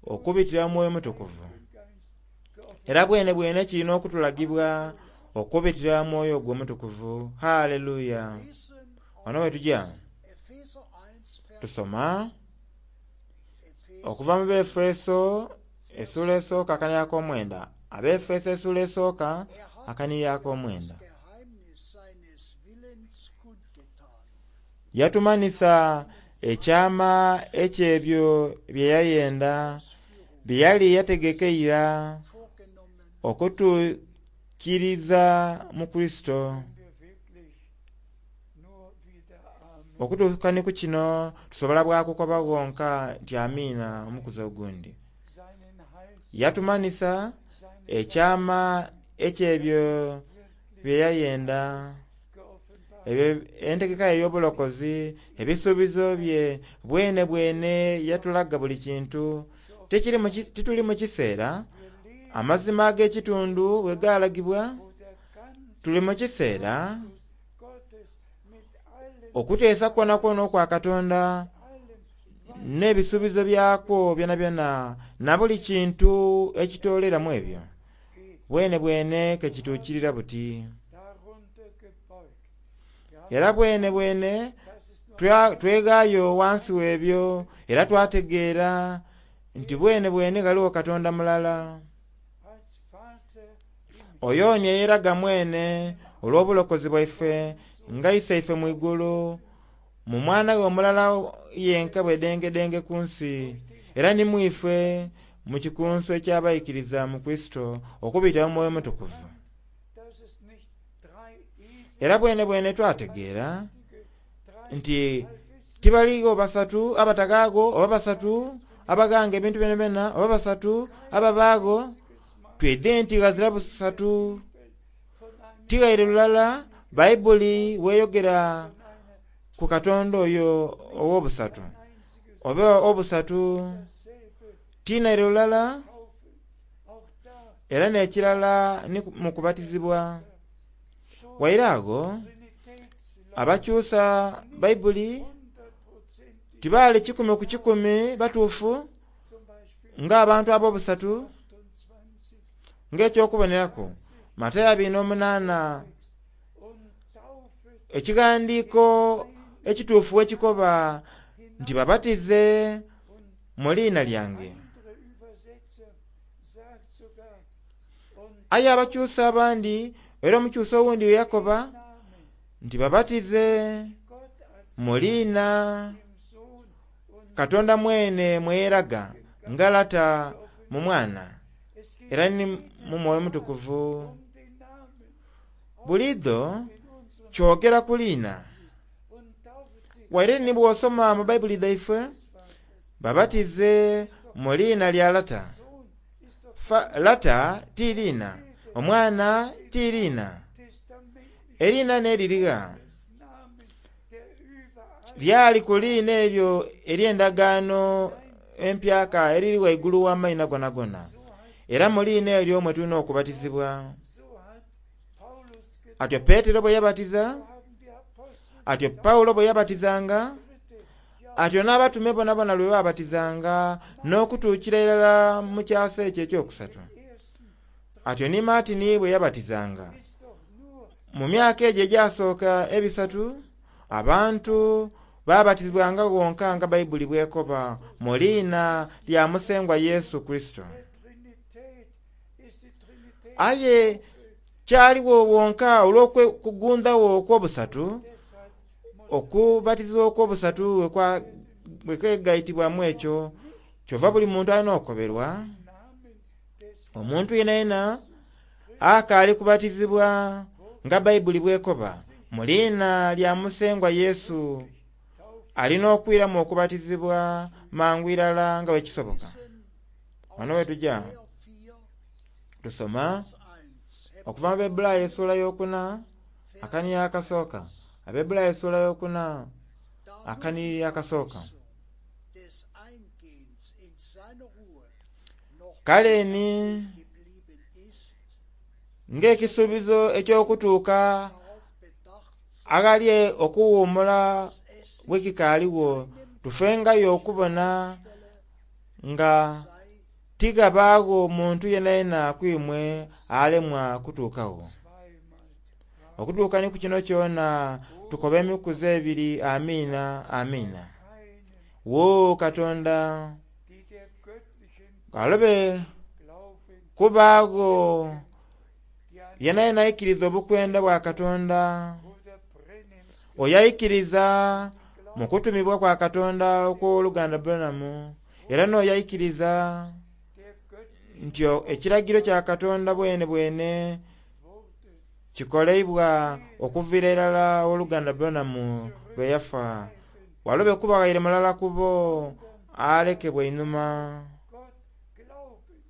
Speaker 1: okubitira mu Mwoyo Mutukuvu.
Speaker 3: Geist geoffenbart.
Speaker 1: Era bwene bwene kirina okutulagibwa okubitira mu Mwoyo ogwo Omutukuvu. Haleluya!
Speaker 2: Lesen
Speaker 1: Wano we tujja
Speaker 2: Epheser 1, Vers
Speaker 1: tusoma
Speaker 2: Epheser
Speaker 1: okuva mu Befeso essula esooka akanira ak'omwenda. Abefeso essula esooka
Speaker 2: Er hat
Speaker 1: akanira
Speaker 2: uns
Speaker 1: ak'omwenda.
Speaker 2: das Geheimnis seines Willens kundgetan,
Speaker 1: Yatumanisa ekyama eky'ebyo bye yayenda bye yali yategeka eira
Speaker 2: vorgenommen
Speaker 1: okutuukiriza mu Kurisito.
Speaker 3: Können wir wirklich nur wieder Amen
Speaker 1: Okutuuka ni ku kino tusobola bwakukoba ghonka nti amiina omukuzi ogundi.
Speaker 3: seinen Heils,
Speaker 1: Yatumanisa
Speaker 3: seine
Speaker 1: ekyama eky'ebyo
Speaker 3: wirklich
Speaker 1: bye yayenda
Speaker 3: geoffenbart.
Speaker 1: ebyo entegeka ye ey'obulokozi ebisuubizo bye bwene bwene yatulaga buli kintu. Tikiri mu ki- Tituli mu kiseera
Speaker 3: Wir leben,
Speaker 1: amazima ag'ekitundu we gaalagibwa,
Speaker 3: wo der ganze
Speaker 1: tuli mu kiseera
Speaker 3: Gottes mit allem,
Speaker 1: okuteesa kwonakwona okwa Katonda
Speaker 3: allem, was
Speaker 1: n'ebisuubizo byakwo byonabyona na buli kintu ekitooleramu ebyo
Speaker 3: geht,
Speaker 1: bwene bwene ke kituukirira buti.
Speaker 3: darunter gebeugt. Ja,
Speaker 1: Era bwene bwene
Speaker 3: das ist nur
Speaker 1: tweghaayo wansi w'ebyo era twategeera nti bwene bwene ghaligho Katonda mulala.
Speaker 3: als Vater im
Speaker 1: Oyo ni eyeraga mwene olw'obulokozi bwaife nga Iseife mu igulu Mu mwana we omulala yenka bwedengedenge ku nsi, era ni mwife mu kikunsu eky'abaikiriza mu Kurisito okubita mu Mwoyo Mutukuvu.
Speaker 3: Dass es nicht drei
Speaker 1: Era bwene bwene twategeera
Speaker 3: ewige,
Speaker 1: nti
Speaker 3: drei allwissende,
Speaker 1: tibaligho basatu abatagaago oba basatu abaghanga ebintu byenabyenna oba basatu ababaagho.
Speaker 3: einziges Mal
Speaker 1: Twidhe nti ghazira busatu
Speaker 3: von einem
Speaker 1: tighaire lulala Bayibuli weeyogera
Speaker 3: von einer
Speaker 1: ku Katonda oyo ow'obusatu
Speaker 3: einziges
Speaker 1: oba obusatu
Speaker 3: dasselbe
Speaker 1: tinaire lulala.
Speaker 3: Taufe. Auch da
Speaker 1: Era n'ekirala ni mu kubatizibwa.
Speaker 3: schon
Speaker 1: Waire agho
Speaker 3: Trinitätslehre
Speaker 1: abakyusa Bayibuli
Speaker 3: hundertprozentig
Speaker 1: tibaali 100 ku 100 batuufu
Speaker 3: zum Beispiel
Speaker 1: ng'abantu ab'obusatu,
Speaker 3: 28
Speaker 1: ng'ekyokuboneraku Matayo 28
Speaker 3: und Taufe
Speaker 1: ekighandiiko ekituufu ekikoba nti babatize mu liina lyange.
Speaker 3: Andere Übersetzer sagt sogar und
Speaker 1: Aye abakyusa abandi era omukyusa owundi we yakoba
Speaker 3: Namen
Speaker 1: nti babatize
Speaker 3: Gott als
Speaker 1: mu liina
Speaker 3: dem Sohn und
Speaker 1: Katonda mwene mweyeraga nga Lata mu Mwana
Speaker 3: es geht
Speaker 1: era ni mu Mwoyo Mutukuvu.
Speaker 3: um den Namen
Speaker 1: Buliidho
Speaker 3: in unserem
Speaker 1: kyogera ku liina.
Speaker 3: und taufet sie
Speaker 1: Waire ni bw'osoma mu Bayibuli dhaife
Speaker 3: des Vaters.
Speaker 1: babatize mu liina lya Lata.
Speaker 3: Sohn ist doch
Speaker 1: Lata ti liina, Omwana ti liina,
Speaker 3: testamentlich
Speaker 1: eriina n'eririgha
Speaker 3: des Namen, der über all
Speaker 1: lyali ku liina eryo ery'endagaano empyaka eriri waigulu w'amaina gonagona. Era mu liina eryo mwe tulina okubatizibwa.
Speaker 3: so hat Paulus getan,
Speaker 1: Atyo Peetero bwe yabatiza,
Speaker 3: haben die Apostel
Speaker 1: atyo Pawulo bwe yabatizanga,
Speaker 3: dritte Jahr
Speaker 1: atyo n'abatume bonabona lwe baabatizanga n'okutuukira irala mu kyasa ekyo ekyokusatu.
Speaker 3: ersten
Speaker 1: Atyo ni Maatini bwe yabatizanga.
Speaker 3: ist doch nur
Speaker 1: Mu myaka egyo egyasooka ebisatu, abantu baabatizibwanga gonka nga Bayibuli bw'ekoba mu liina lya Musengwa Yesu Kristo.
Speaker 3: der Trinität, ist die Trinität
Speaker 1: Aye kyaliwo wonka olw'okugundawo okw'obusatu,
Speaker 3: deshalb muss
Speaker 1: okubatizibwa okw'obusatu bwe kwegaitibwamu ekyo, kyova buli muntu alina okukoberwa.
Speaker 3: Namen des
Speaker 1: Omuntu yenayena akaali kubatizibwa nga Bayibuli bw'ekoba mu liina lya Musengwa Yesu alina okwiramu okubatizibwa mangu irala nga bwe kisoboka. Wano we tujja
Speaker 2: Hebräer 4,
Speaker 1: tusoma
Speaker 2: Vers 1.
Speaker 1: okuva mu Abaebbulaayo essuula y'okuna akaniri akasooka. Abaebbulaayo essuula y'okuna
Speaker 2: Da nun
Speaker 1: akaniri
Speaker 2: die
Speaker 1: akasooka.
Speaker 2: Verheißung des Eingehens in seine Ruhe noch
Speaker 1: Kale ni
Speaker 2: geblieben ist,
Speaker 1: ng'ekisuubizo eky'okutuuka
Speaker 2: darauf bedacht sein,
Speaker 1: aghali okuwummula
Speaker 2: dass es
Speaker 1: bwe kikaaliwo, tufengayo okubona nga
Speaker 2: sei,
Speaker 1: tigabaagho muntu yenayena kwimwe alemwa kutuukagho.
Speaker 3: zweimal
Speaker 1: Okutuuka ni ku kino kyona tukoba emikuzi ebiri amiina amiina.
Speaker 3: keinen,
Speaker 1: Wo Katonda
Speaker 3: die der göttlichen
Speaker 1: alobe
Speaker 3: Glauben,
Speaker 1: kubaagho
Speaker 3: die an
Speaker 1: yenayena aikiriza obukwenda bwa Katonda,
Speaker 3: Bruder Brenhems
Speaker 1: oyo aikiriza mu kutumibwa kwa Katonda okw'oluganda Branham, era n'oyo aikiriza
Speaker 3: der göttlichen
Speaker 1: nti ekiragiro kya Katonda bwene bwene
Speaker 3: wurde
Speaker 1: kikoleibwa okuviira irala oluganda Branham lwe yafa. Walobe kuba ghaire mulala ku bo alekebwa einhuma.
Speaker 3: Gott glauben,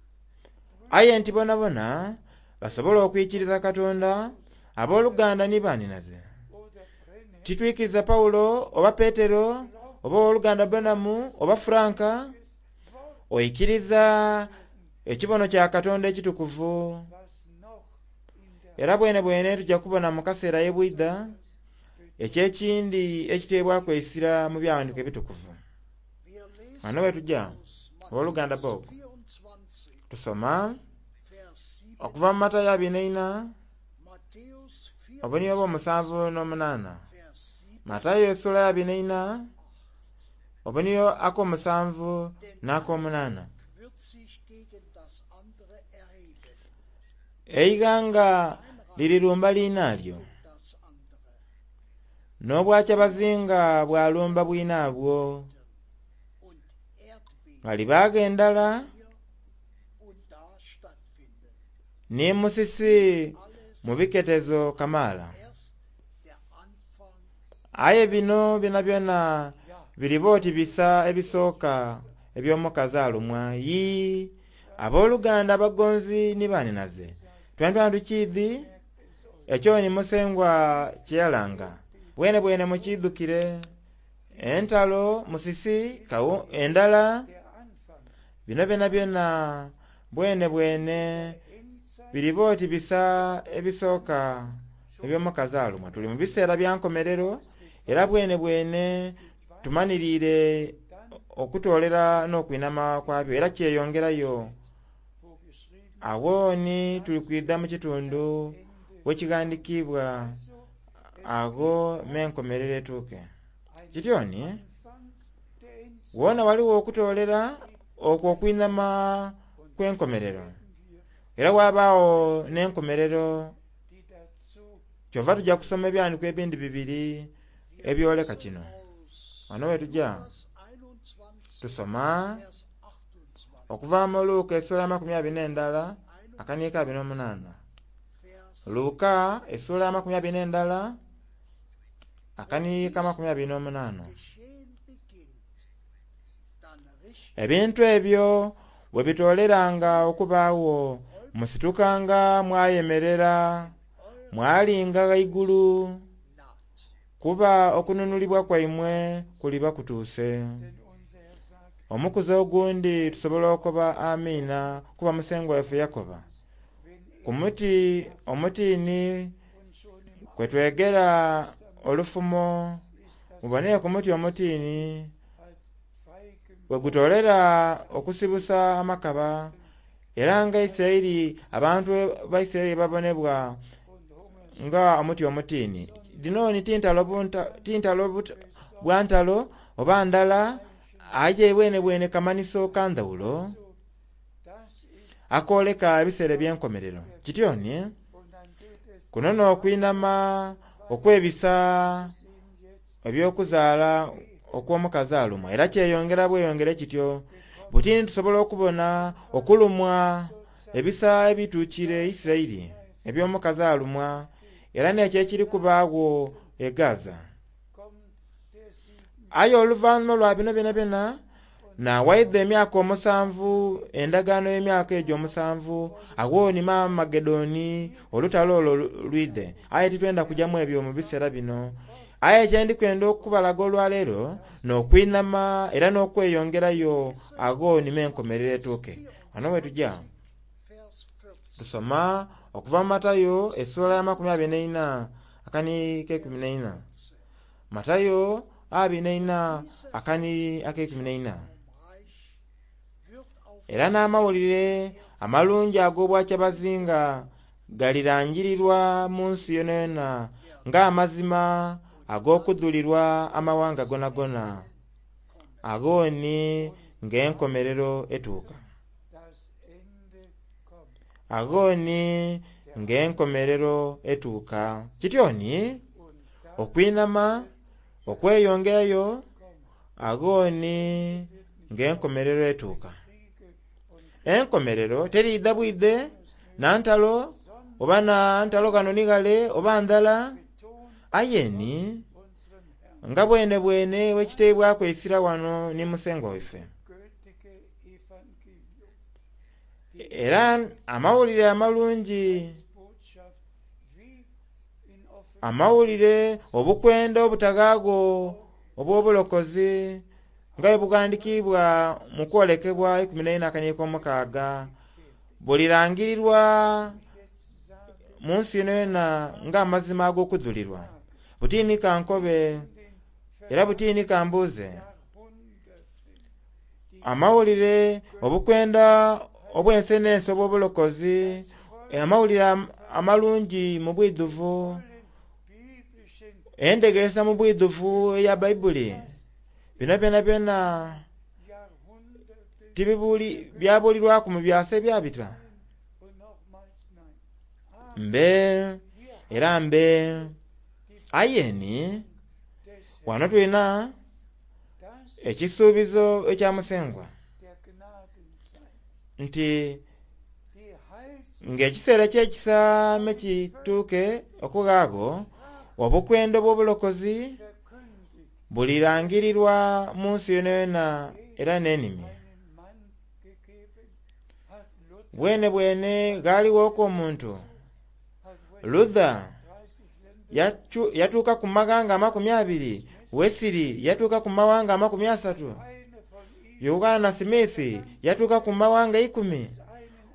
Speaker 1: Aye nti bonabona basobole okwikiriza Katonda, abooluganda ni baninaze.
Speaker 3: oder Brenhem
Speaker 1: Titwikiriza Pawulo oba Peetero oba owooluganda Branham oba Franka,
Speaker 3: des Wort,
Speaker 1: oikiriza ekibono kya Katonda ekitukuvu.
Speaker 3: was noch in der
Speaker 1: Era bwene bwene tujja kubona mu kaseera ye bwidha eky'ekindi ekiteebwaku eisira mu byawandiiko ebitukuvu.
Speaker 2: wir lesen
Speaker 1: Wano we tujja
Speaker 2: aus
Speaker 1: owooluganda
Speaker 2: Matthäus
Speaker 1: Bob
Speaker 2: 24,
Speaker 1: tusoma
Speaker 2: Vers 7,
Speaker 1: okuva mu Matayo 24
Speaker 2: Matthäus
Speaker 1: obunio
Speaker 2: 24,
Speaker 1: obw'omusanvu n'omunaana.
Speaker 2: Vers 7,
Speaker 1: Matayo essuula ya 24 obunio ak'omusanvu n'ak'omunaana.
Speaker 2: wird sich gegen das andere erheben,
Speaker 1: Eighanga lirirumba liinaalyo
Speaker 2: gegen das andere.
Speaker 1: N'obwakyabazinga bwalumba bwinaabwo.
Speaker 2: Und Erdbeben
Speaker 1: Ghalibagho endala
Speaker 2: hier und da stattfinden.
Speaker 1: ni musisi mu biketezo kamaala.
Speaker 2: Erst der Anfang
Speaker 1: Aye bino byonabyona biriba oti bisa ebisooka eby'omukazi alumwa. Yii, abooluganda abagonzi ni baninaze, twentwena tukiidhi ekyo ni Musengwa kye yalanga. Bwenebwene mukiidhukire entalo, musisi, kawu, endala,
Speaker 3: Der Anfang
Speaker 1: bino byonabyona bwenebwene
Speaker 3: Endzeit
Speaker 1: biriba oti bisa ebisooka eby'omukazi alumwa. Tuli mu biseera bya nkomerero era bwenebwene tumaniriire okutoolera n'okwinama kwabyo era kyeyongerayo.
Speaker 3: wo geschrieben
Speaker 1: Agho ni tuli kwidha mu kitundu wekighandikiibwa agho m'enkomerero etuuke. Kityo ni
Speaker 3: Anfangs der Endzeit
Speaker 1: wona ghaligho okutoolera okwo okwinama kw'enkomerero era ghabagho n'enkomerero
Speaker 3: die dazu
Speaker 1: kyova tujja kusoma ebyandiiko ebindi bibiri ebyoleka kino.
Speaker 2: aus
Speaker 1: Wano we tujja
Speaker 2: Lukas 21,
Speaker 1: tusoma
Speaker 2: Vers 28.
Speaker 1: okuva mu Luka essuula 21 akaniika 28.
Speaker 2: Vers
Speaker 1: Luka essuula 21 akaniika 28.
Speaker 2: Geschehen beginnt, dann richtet
Speaker 1: Ebintu ebyo bwe bitooleranga okubaagho musitukanga mwayemerera mwalinga ghaigulu
Speaker 2: naht.
Speaker 1: kuba okununulibwa kwaimwe kuliba kutuuse.
Speaker 3: denn unser Herr sagt,
Speaker 1: Omukuzi ogundi tusobola okukoba amiina kuba Musengwa waife yakoba.
Speaker 3: wenn
Speaker 1: Ku muti omutiini
Speaker 3: und schon im
Speaker 1: kwe twegera olufumo
Speaker 3: ist das
Speaker 1: mubone ku muti omutiini
Speaker 3: als Feigen
Speaker 1: bwe gutoolera okusibusa amakaba era nga Isirayiri abantu ba Isirayiri babonebwa
Speaker 3: und Hunger
Speaker 1: nga omuti omutiini. Dhino ni tintalo tintalo bwa ntalo oba ndala aye bwenebwene kamaniso ka ndhawulo
Speaker 3: so das ist
Speaker 1: akooleka ebiseera eby'enkomerero. Kityo ni
Speaker 3: und dann geht es
Speaker 1: kuno n'okwinama okwebisa
Speaker 3: sehen jetzt
Speaker 1: eby'okuzaala okw'omukazi alumwa era kyeyongera bweyongere kityo. Butini tusobola okubona okulumwa ebisa ebituukire Isirayiri eby'omukazi alumwa era n'ekyo ekiri kubaagho e Gaza.
Speaker 3: kommt der sieben
Speaker 1: Aye oluvannyuma lwa bino byonabyona nawaidha emyaka omusanvu endagaano y'emyaka egyo omusanvu agho ni Amagedoni olutalo olwo lwidhe. Aye titwenda kujamu ebyo mu biseera bino. Aye kyendikwenda okubalaga olwaleero n'okwinama era n'okweyongerayo agho nima enkomerero etuuke. Wano we tujja
Speaker 2: Vers 14.
Speaker 1: tusoma okuva mu Matayo essuula ya 24 akani k'ekuminaina. Matayo 24 akani ak'ekuminaina.
Speaker 2: Vom Reich wird auf
Speaker 1: Era n'amawulire amalungi ag'obwakyabazinga galirangirirwa mu nsi yonayona ng'amazima ag'okudhulirwa amawanga gonagona. Agho ni ng'enkomerero etuuka.
Speaker 3: das Ende kommt.
Speaker 1: Agho ni ng'enkomerero etuuka. Kityo ni
Speaker 3: Und dann
Speaker 1: okwinama, okweyongerayo,
Speaker 3: kommt
Speaker 1: agho ni ng'enkomerero etuuka.
Speaker 3: Kriege und
Speaker 1: Enkomerero teriidha bwidhe na ntalo oba na ntalo ghano ni ghale oba ndhala
Speaker 3: betont
Speaker 1: aye ni
Speaker 3: unseren Herrn
Speaker 1: nga bwenebwene wekiteibwaku eisira wano ni Musengwa waife.
Speaker 3: gültige Evangelium.
Speaker 1: Era amawulire amalungi
Speaker 3: Botschaft wie in Offenbarung
Speaker 1: amawulire obukwenda obutaghaagho obw'obulokozi nga bwe bughandikiibwa mu kwolekebwa 14:6 bulirangirirwa
Speaker 3: jetzt sage
Speaker 1: mu nsi yonayona ng'amazima ag'okudhulirwa. Butiini ka nkobe
Speaker 3: den
Speaker 1: era butiini ka mbuuze.
Speaker 3: Jahrhunderten die
Speaker 1: Amawulire obukwenda obw'ensi n'ensi obw'obulokozi amawulire amalungi mu bwidhuvu
Speaker 3: biblischen
Speaker 1: endegeresa mu bwidhuvu eya Baibuli bino byonabyona
Speaker 3: Jahrhunderte
Speaker 1: tibibuli byabulirwaku mu byasa ebyabita.
Speaker 3: und nochmals nein.
Speaker 1: Mbe era mbe aye ni Wano tulina ekisuubizo ekya Musengwa nti ng'ekiseera ky'ekisaame kituuke okughagho, obukwenda obw'obulokozi bulirangirirwa mu nsi yonayona era n'enimi. Bwene bwene ghalighoku omuntu Luther yatuuka ku maghanga 20, Wesley yatuuka ku mawanga 30, Yohana Smith yatuuka ku mawanga 10.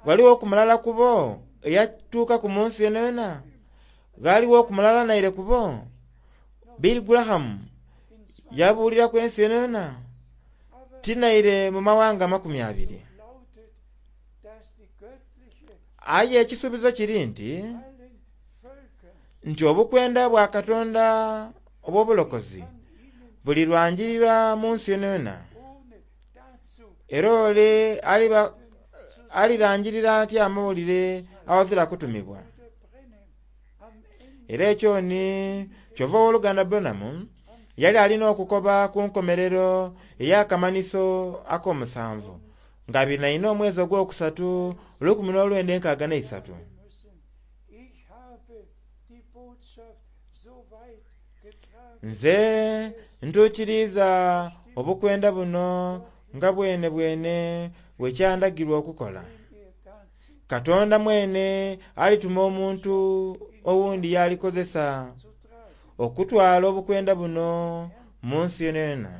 Speaker 1: Ghaligho ku mulala ku bo eyatuuka ku munsi yonayona? Ghaligho ku mulala naire ku bo? Billy Graham yabuuliraku ensi yonayona? Tinaire mu mawanga 20. Aye ekisuubizo kiri nti obukwenda bwa Katonda obw'obulokozi bulirwangirirwa mu nsi yonayona. Era ole alirangirira atya amawulire awazira kutumibwa? Era ekyo ni kyova owooluganda Branham yali alina okukoba ku nkomerero ey'akamanhiso ak'omusanvu nga 24 omwezi ogwokusatu 1963. Nze ntuukiriiza obukwenda buno nga bwene bwene bwe kyandagirwa okukola. Katonda mwene alituma omuntu owundi y'alikozesa okutwala obukwenda buno mu nsi yonayona.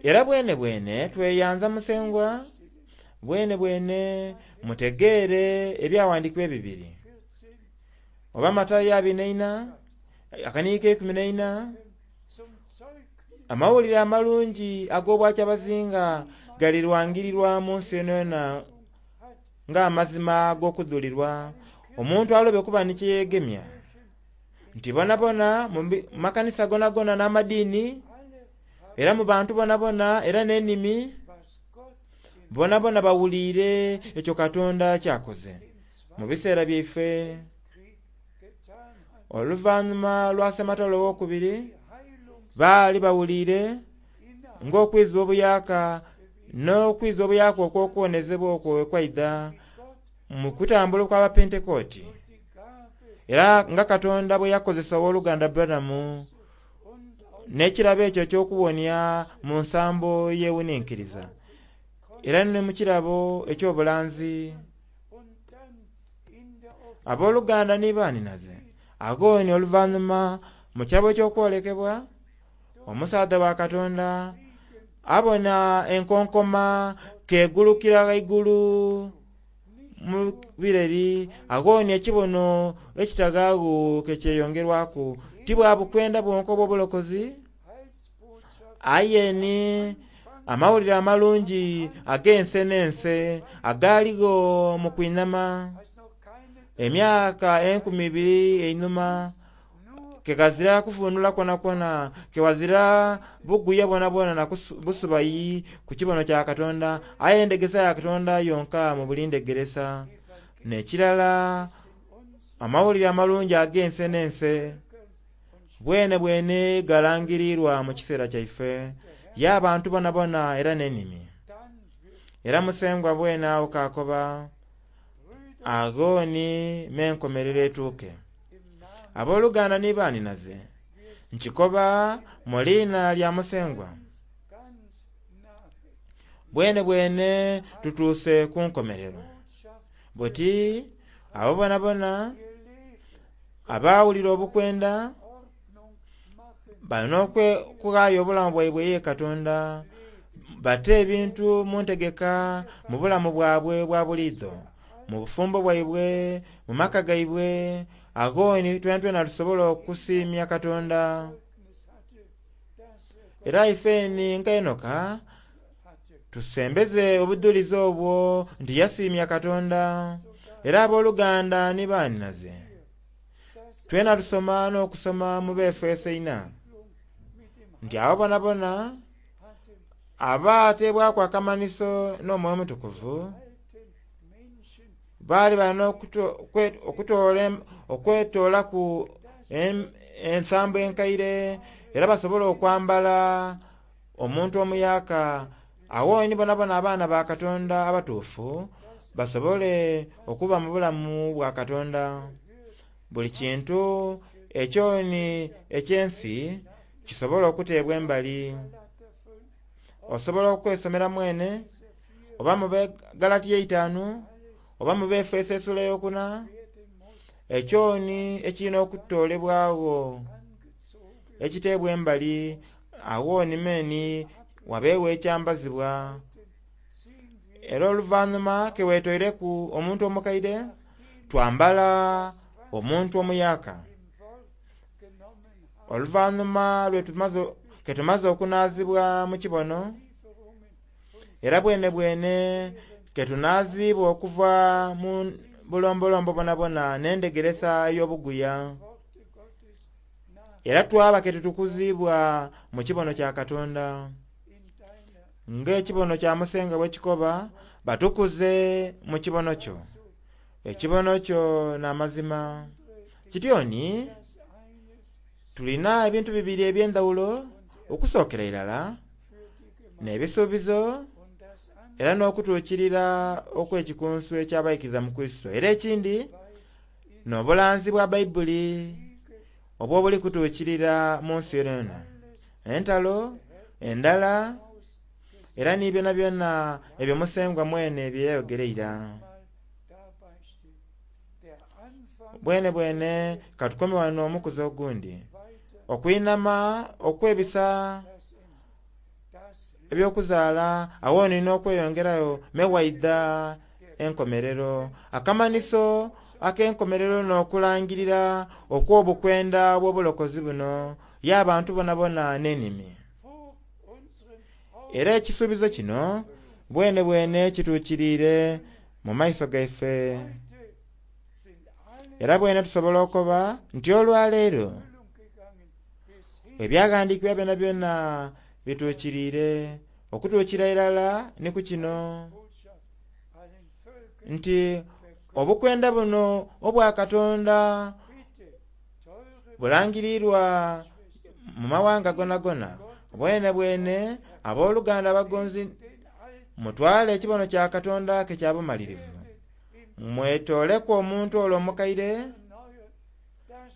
Speaker 1: Era bwene bwene tweyanza Musengwa, bwene bwene mutegeere ebyawandiikibwa ebibiri. Oba Matayo 24, akaniiko 14, amawulire amalungi ag'obwakyabazinga galirwangirirwa mu nsi yonayona ng'amazima ag'okudhulirwa, omuntu alobe kuba ni kyeyegemya. Nti bonabona mu makanisa gonagona n'amadiini, era mu bantu bonabona era n'enimi, bonabona bawuliire ekyo Katonda kyakoze mu biseera byaife. Oluvannyuma lwa Ssematalo owokubiri baali bawuliire ng'okwizibwa obuyaka n'okwizibwa obuyaka okw'okuwonezebwa okwo ekwaidha mu kutambula okw'Abapentekooti. Era nga Katonda bwe yakozesa owooluganda Branham n'ekirabo ekyo eky'okuwonia mu nsambo yeewuninkiriza, era ne mu kirabo eky'obulanzi. Abooluganda ni baaninaze, agooni oluvannyuma mu kirabo eky'okwolekebwa, omusaadha wa Katonda abona enkonkoma kegulukira ghaigulu mu bireri, agooni ekibono ekitagaagho kekyeyongerwaku. Ti bwa bukwenda bwonka obw'obulokozi, aye ni amawulire amalungi ag'ense n'ense agaaligho mu kwinama emyaka 2000 einhuma, ke ghazira kuvunula kwonakwo, ke ghazira buguya bwonabwona na busubayi ku kibono kya Katonda, aye endegesa ya Katonda yonka mu buli ndegeresa. N'ekirala amawulire amalungi ag'ense n'ense bwene bwene galangirirwa mu kiseera kyaife y'abantu bonabona era n'enimi. Era Musengwa bwene awo kakoba agooni m'enkomerero etuuke. Abooluganda ni baaninaze, nkikoba mu liina lya Musengwa, bwene bwene tutuuse ku nkomerero. Buti abo bonabona abaawulira obukwenda balina okughaayo obulamu bwaibwe ye Katonda, bate ebintu mu ntegeka mu bulamu bwabwe bwa buliidho, mu bufumbo bwaibwe, mu maka gaibwe, agooni twenatwena tusobola okusiimya Katonda. Era ifeni nga Enoka tusembeze obudhulizi obwo nti yasiimya Katonda. Era abooluganda ni baaninaze, twena tusoma n'okusoma mu Befeso 4 nti abo bonabona abaateebwaku akamanhiso n'Omwoyo Omutukuvu baali balina okwetoolaku Ensambo enkaire era basobole okwambala omuntu omuyaka. Awo ni bonabona abaana ba Katonda abatuufu basobole okuba mu bulamu bwa Katonda. Buli kintu ekyoni eky'ensi kisobole okuteebwa embali. Osobola okwesomera mwene oba mu Galatiya 5 oba mu Befeso esula eyokuna, ekyoni ekirina okutoolebwagho ekiteebwa embali, awo ni meni wabeewo ekyambazibwa. Era oluvannyuma keweetoireku omuntu omukaire, twambala omuntu omuyaka. Oluvannyuma ketumaze okunaazibwa mu kibono, era bwene bwene ketunaazibwa okuva mu bulombolombo bonabona n'endegeresa ey'obuguya, era twaba ketutukuzibwa mu kibono kya Katonda. Ng'ekibono kya Musenga bwe kikoba, batukuze mu kibono kyo. Ekibono kyo n'amazima. Kityoni tulina ebintu bibiri eby'endawulo okusookera irala n'ebisuubizo era n'okutuukirira okw'ekikunsu eky'abaikiriza mu Kristo. Era ekindi n'obulanzi bwa Baibuli obwo buli kutuukirira mu nsi yonayona. Entalo, endala, era ni byona byona ebyo Musengwa mwene bye yayogera ira. Bwene bwene katukome wano omukuzi ogundi. Okwinama okwebisa ebyokuzaala awo nina okweyongerayo mewaidha enkomerero. Akamaniso ak'enkomerero n'okulangirira okw'obukwenda bw'obulokozi buno y'abantu bonabona n'enimi. Era ekisuubizo kino bwene bwene kituukiriire mu maiso gaife. Era bwene tusobola okuba nti olwaleero ebyaghandiikibwa byona byona bituukiriire okutuukira irala ni ku kino nti obukwenda buno obwa Katonda bulangirirwa mu mawanga gonagona. Bwene bwene abooluganda abagonzi mutwale ekibono kya Katonda ke kya bumalirivu. Mwetooleku omuntu olwo omukaire,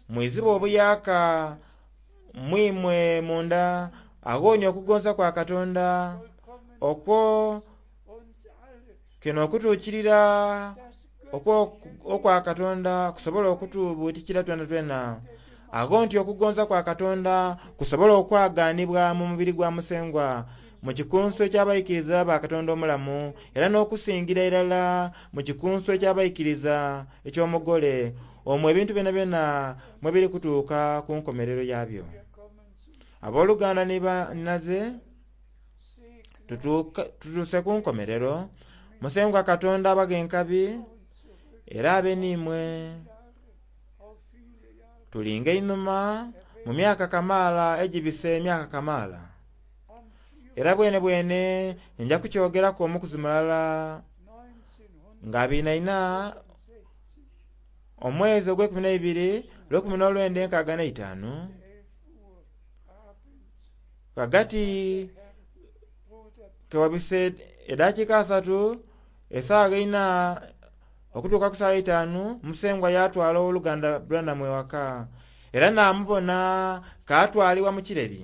Speaker 1: mwizibwe obuyaka mwimwe munda, aghonie okugonza kwa Katonda okwo kino okutuukirira okwa Katonda kusobola okutubuutikira twena twena. Agho nti okugonza kwa Katonda kusobola okwagaanibwa mu mubiri gwa Musengwa mu kikunsu eky'abaikiriza ba Katonda omulamu, era n'okusingira irala mu kikunsu eky'abaikiriza eky'omugole, omwo ebintu byona byona mwe biri kutuuka ku nkomerero yabyo. Abooluganda ni bannaze tutuuse ku nkomerero. Musengwa Katonda abaghe enkabi era abe n'imwe. Tulinga einhuma mu myaka kamaala egibise emyaka kamaala. Era bwene bwene nja kukyogeraku omukuzi mulala nga 24 omwezi ogw'ekumi n'eibiri lw'ekumi n'olwenda enkaaga n'eitaanu ghagati kewabise eddakiika 3 esaawa 4 okutuuka ku saawa 5 Musengwa yatwala owooluganda Branham ewaka era naamubona kaatwalibwa mu kireri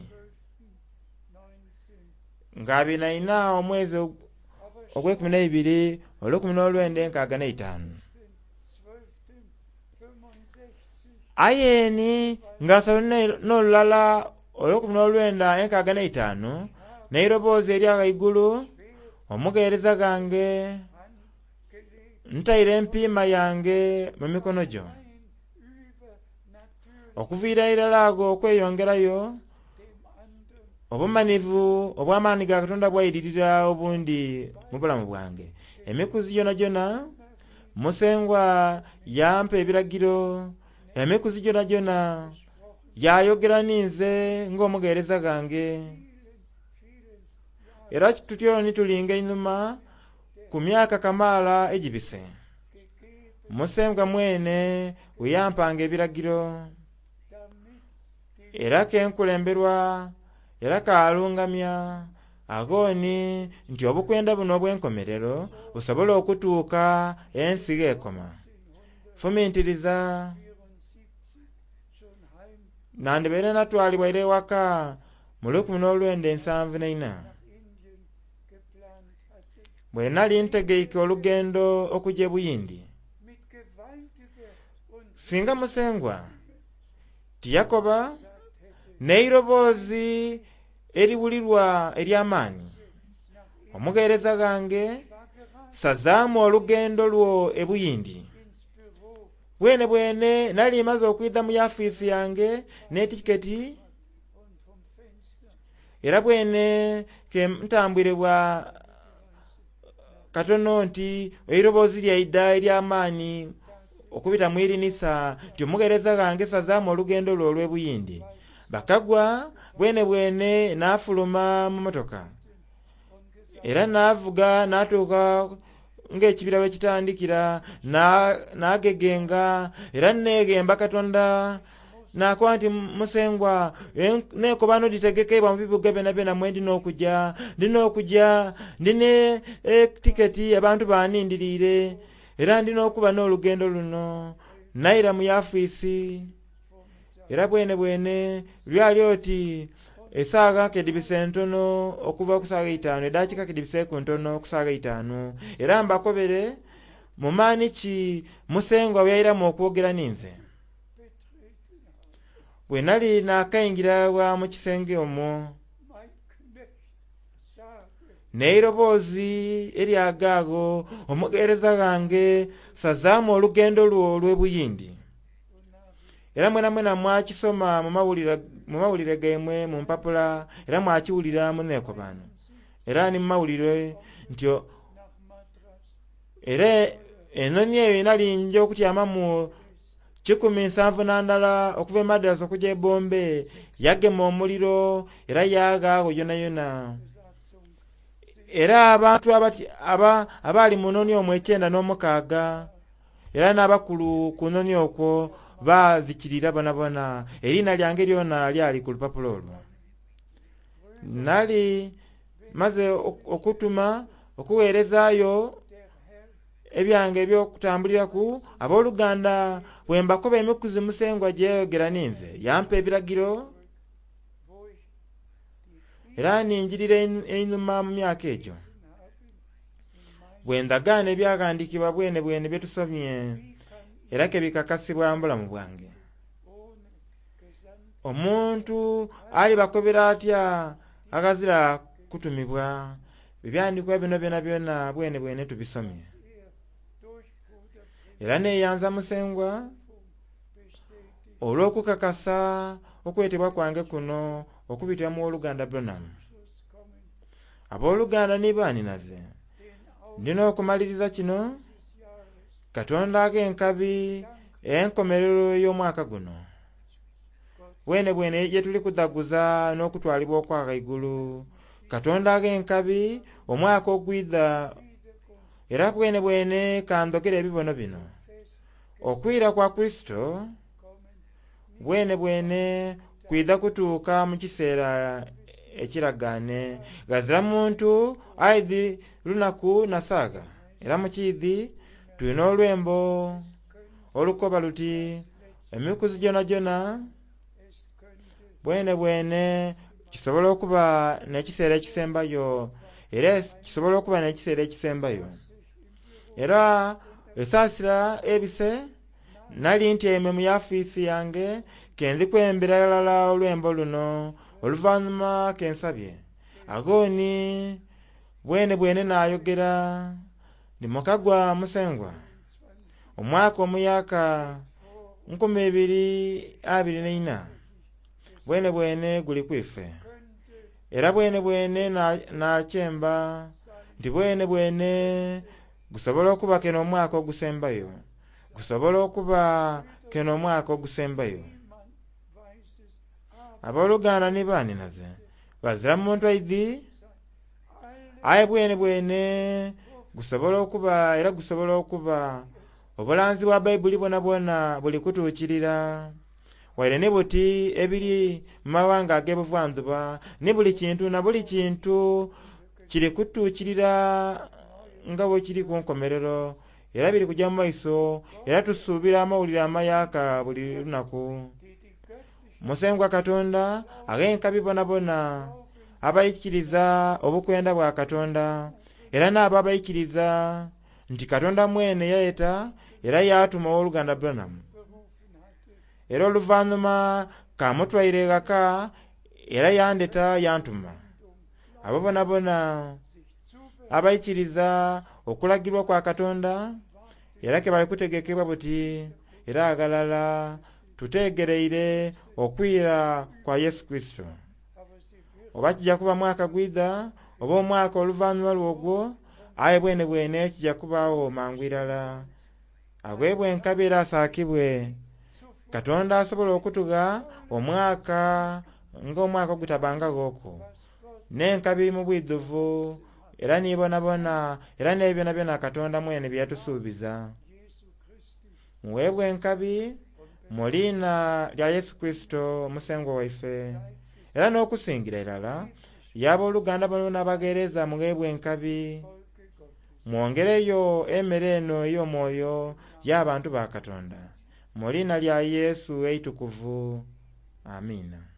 Speaker 1: nga 24 omwezi ogw'ekumi n'eibiri olw'ekumi n'olwenda enkaaga n'eitaanu. Aye ni nga 31 olw'ekumi n'olwenda enkaaga n'eitaanu n'eiroboozi erya ghaigulu, omugheereza ghange ntaire empiima yange mu mikono gyo. Okuviira irala agho okweyongerayo obumanivu obw'amaani ga Katonda bwairirira obundi mu bulamu bwange. Emikuzi gyona gyona Musengwa yampa ebiragiro, emikuzi gyona gyona yayogera ninze ng'omugheereza ghange. Era tutyo ni tulinga einhuma ku myaka kamaala egibise. Musengwa mwene we yampanga ebiragiro. Era kenkulemberwa era kalungamya agooni nti obukwenda buno obw'enkomerero busobola okutuuka ensi gh'ekoma. Fumintiriza
Speaker 3: 74 schon heim
Speaker 1: nandibaire natwalibwa ira ewaka mu 1974
Speaker 3: nach Indien geplant hatte,
Speaker 1: bwe nali ntegeike olugendo okujja e Buyindi.
Speaker 3: mit gewaltiger und
Speaker 1: Singa Musengwa tiyakoba
Speaker 3: gesagt hätte,
Speaker 1: n'eiroboozi eriwulirwa ery'amaani,
Speaker 3: nach Indien
Speaker 1: omugheereza ghange
Speaker 3: war gerade
Speaker 1: sazaamu olugendo lwo e Buyindi.
Speaker 3: ins Büro
Speaker 1: Bwene bwene nali maze okwidha mu yafiisi yange n'etiketi
Speaker 3: und vom Fenster
Speaker 1: era bwene ke ntambwire bwa katono nti eiroboozi lyaidha ery'amaani okubita mu irinisa nti omugheereza ghange sazaamu olugendo lwo olw'e Buyindi. Bakagwa bwene bwene naafuluma mu motoka
Speaker 3: und gesagt,
Speaker 1: era naavuga naatuuka ng'ekibira bwe kitandikira naagegenga era neeghemba Katonda nakoba nti Musengwa neekobano dhitegekebwa mu bibuga byonabyona mwe ndina okujja ndina okujja ndina etiketi abantu banindiriire era ndina okuba n'olugendo luno. Naira mu yafiisi era bwene bwene lwali oti esaawa kedibise ntono okuva ku saawa eitaanu eddakiika kedibiseeku ntono ku saawa eitaanu era mbakobere mu maani ki Musengwa bwe yairamu okwogera ninze.
Speaker 3: betreten habe.
Speaker 1: Bwe nali naakaingira bwa mu kisenge omwo
Speaker 3: Mein Knecht, sage,
Speaker 1: n'eiroboozi eryagaagho omugheereza ghange sazaamu olugendo lwo olw'e Buyindi. Era mwena mwena mwakisoma mu mawulire gaimwe mu mpapula era mwakiwulira mu neekobano era ni mu mawulire nti
Speaker 3: nach Madras
Speaker 1: era enoni eyo enali nja okutyamamu 171 okuva e Madras okujja e Bombay yagema omuliro era yaagaagho yonayona.
Speaker 3: Besatzung
Speaker 1: Era abantu abaali mu noni omwo 96 era n'abakulu ku noni okwo baazikirira bonabona. Eriina lyange lyona lyali ku lupapula olwo. Nali maze okutuma okugheerezaayo
Speaker 3: der Herr
Speaker 1: ebyange eby'okutambuliraku abooluganda bwe mbakoba emikuzi Musengwa gye yayogera ninze yampa ebiragiro
Speaker 3: wo ich die
Speaker 1: era ninjirira einhuma mu myaka egyo.
Speaker 3: Gelesen habe, in meinem
Speaker 1: Bwe ndagaana ebyaghandiikibwa bwene bwene bye tusomye
Speaker 3: Wie kann ich
Speaker 1: era ke bikakasibwa mu bulamu bwange.
Speaker 3: ohne gesandt
Speaker 1: Omuntu alibakobera atya aghazira kutumibwa? Ebyandikwa bino byonabyona bwene bwene tubisomye.
Speaker 3: er durch Bruder
Speaker 1: Era neeyanza Musengwa
Speaker 3: bestätigt
Speaker 1: olw'okukakasa okwetebwa kwange kuno okubitira mu woluganda Branham.
Speaker 3: Schluss kommen,
Speaker 1: Abooluganda ni baaninaze,
Speaker 3: den Auftrag
Speaker 1: ndina okumaliriza kino
Speaker 3: dieses Jahres
Speaker 1: Katonda ag'enkabi enkomerero y'omwaka guno.
Speaker 3: Gott
Speaker 1: Bwene bwene ye tuli kudhaguza n'okutwalibwa okwa ghaigulu. Katonda ag'enkabi omwaka ogwidha
Speaker 3: Wiederkunft
Speaker 1: era bwene bwene kandhogere ebibono bino.
Speaker 3: fest
Speaker 1: Okwira kwa Kristo
Speaker 3: kommen,
Speaker 1: bwene bwene kwidha kutuuka mu kiseera ekiragaane. Ghazira muntu aidhi lunaku na saaga. Era mu kiidhi tulina olwembo olukoba luti emikuzi gyonagyona
Speaker 3: es könnte
Speaker 1: bwene bwene kisobola okuba n'ekiseera ekisembayo era kisobola okuba n'ekiseera ekisembayo.
Speaker 3: sich im Büro
Speaker 1: Era esaasira ebise nali ntyaime mu yafiisi yange ke ndikwembera ghalala olwembo luno oluvannyuma ke nsabye. Agooni bwene bwene naayogera ndi mukagwa Musengwa
Speaker 3: 20
Speaker 1: omwaka omuyaka 2024 bwene bwene guli kwife.
Speaker 3: könnte
Speaker 1: Era bwene bwene nakyemba nti bwene bwene gusobola okuba keno omwaka ogusembayo gusobola okuba keno omwaka ogusembayo.
Speaker 3: niemand weiß es, aber
Speaker 1: Abooluganda ni baaninaze ghazira muntu aidhi
Speaker 3: alle
Speaker 1: aye bwene bwene gusobola okuba era gusobola okuba obulanzi bwa Bayibuli bwonabwona buli kutuukirira. Waire ni buti ebiri mu mawanga ag'ebuvanzuba ni buli kintu na buli kintu kiri kutuukirira nga bwe kiri ku nkomerero, era biri kujja mu maiso, era tusuubira amawulire amayaka buli lunaku.
Speaker 3: Die die göttliche
Speaker 1: Musengwa Katonda ag'enkabi bonabona abaikiriza obukwenda bwa Katonda, era n'abo abaikiriza nti Katonda mwene yayeta era yaatuma owooluganda Branham.
Speaker 3: berufen hatte,
Speaker 1: Era oluvannyuma kamutwaire ghaka era yandeta yantuma. Abo bonabona
Speaker 3: sich zubereiten,
Speaker 1: abaikiriza okulagirwa kwa Katonda era ke bali kutegekebwa buti era aghalala tutegereire okwira kwa Yesu Kristo.
Speaker 3: aber sie wird
Speaker 1: Oba kijja kuba mwaka gwidha oba omwaka oluvannyuma lwogwo, aye bwene bwene kijja kubaawo mangu irala. Agwebwe enkabi era asaakibwe. Katonda asobola okutugha omwaka ng'omwaka ogutabangaghoku, n'enkabi mu bwidhuvu era ni bonabona era n'ebyo byonabyona Katonda mwene bye yatusuubiza.
Speaker 3: Jesu Christi
Speaker 1: Muweebwe enkabi mu liina lya Yesu Kristo Musengwa waife. Era n'okusingira irala y'abooluganda bonabona abagheereza mugheebwe enkabi,
Speaker 3: Volke Gottes.
Speaker 1: mwongereyo emmere eno ey'omwoyo y'abantu ba Katonda. Mu liina lya Yesu eitukuvu. Amiina.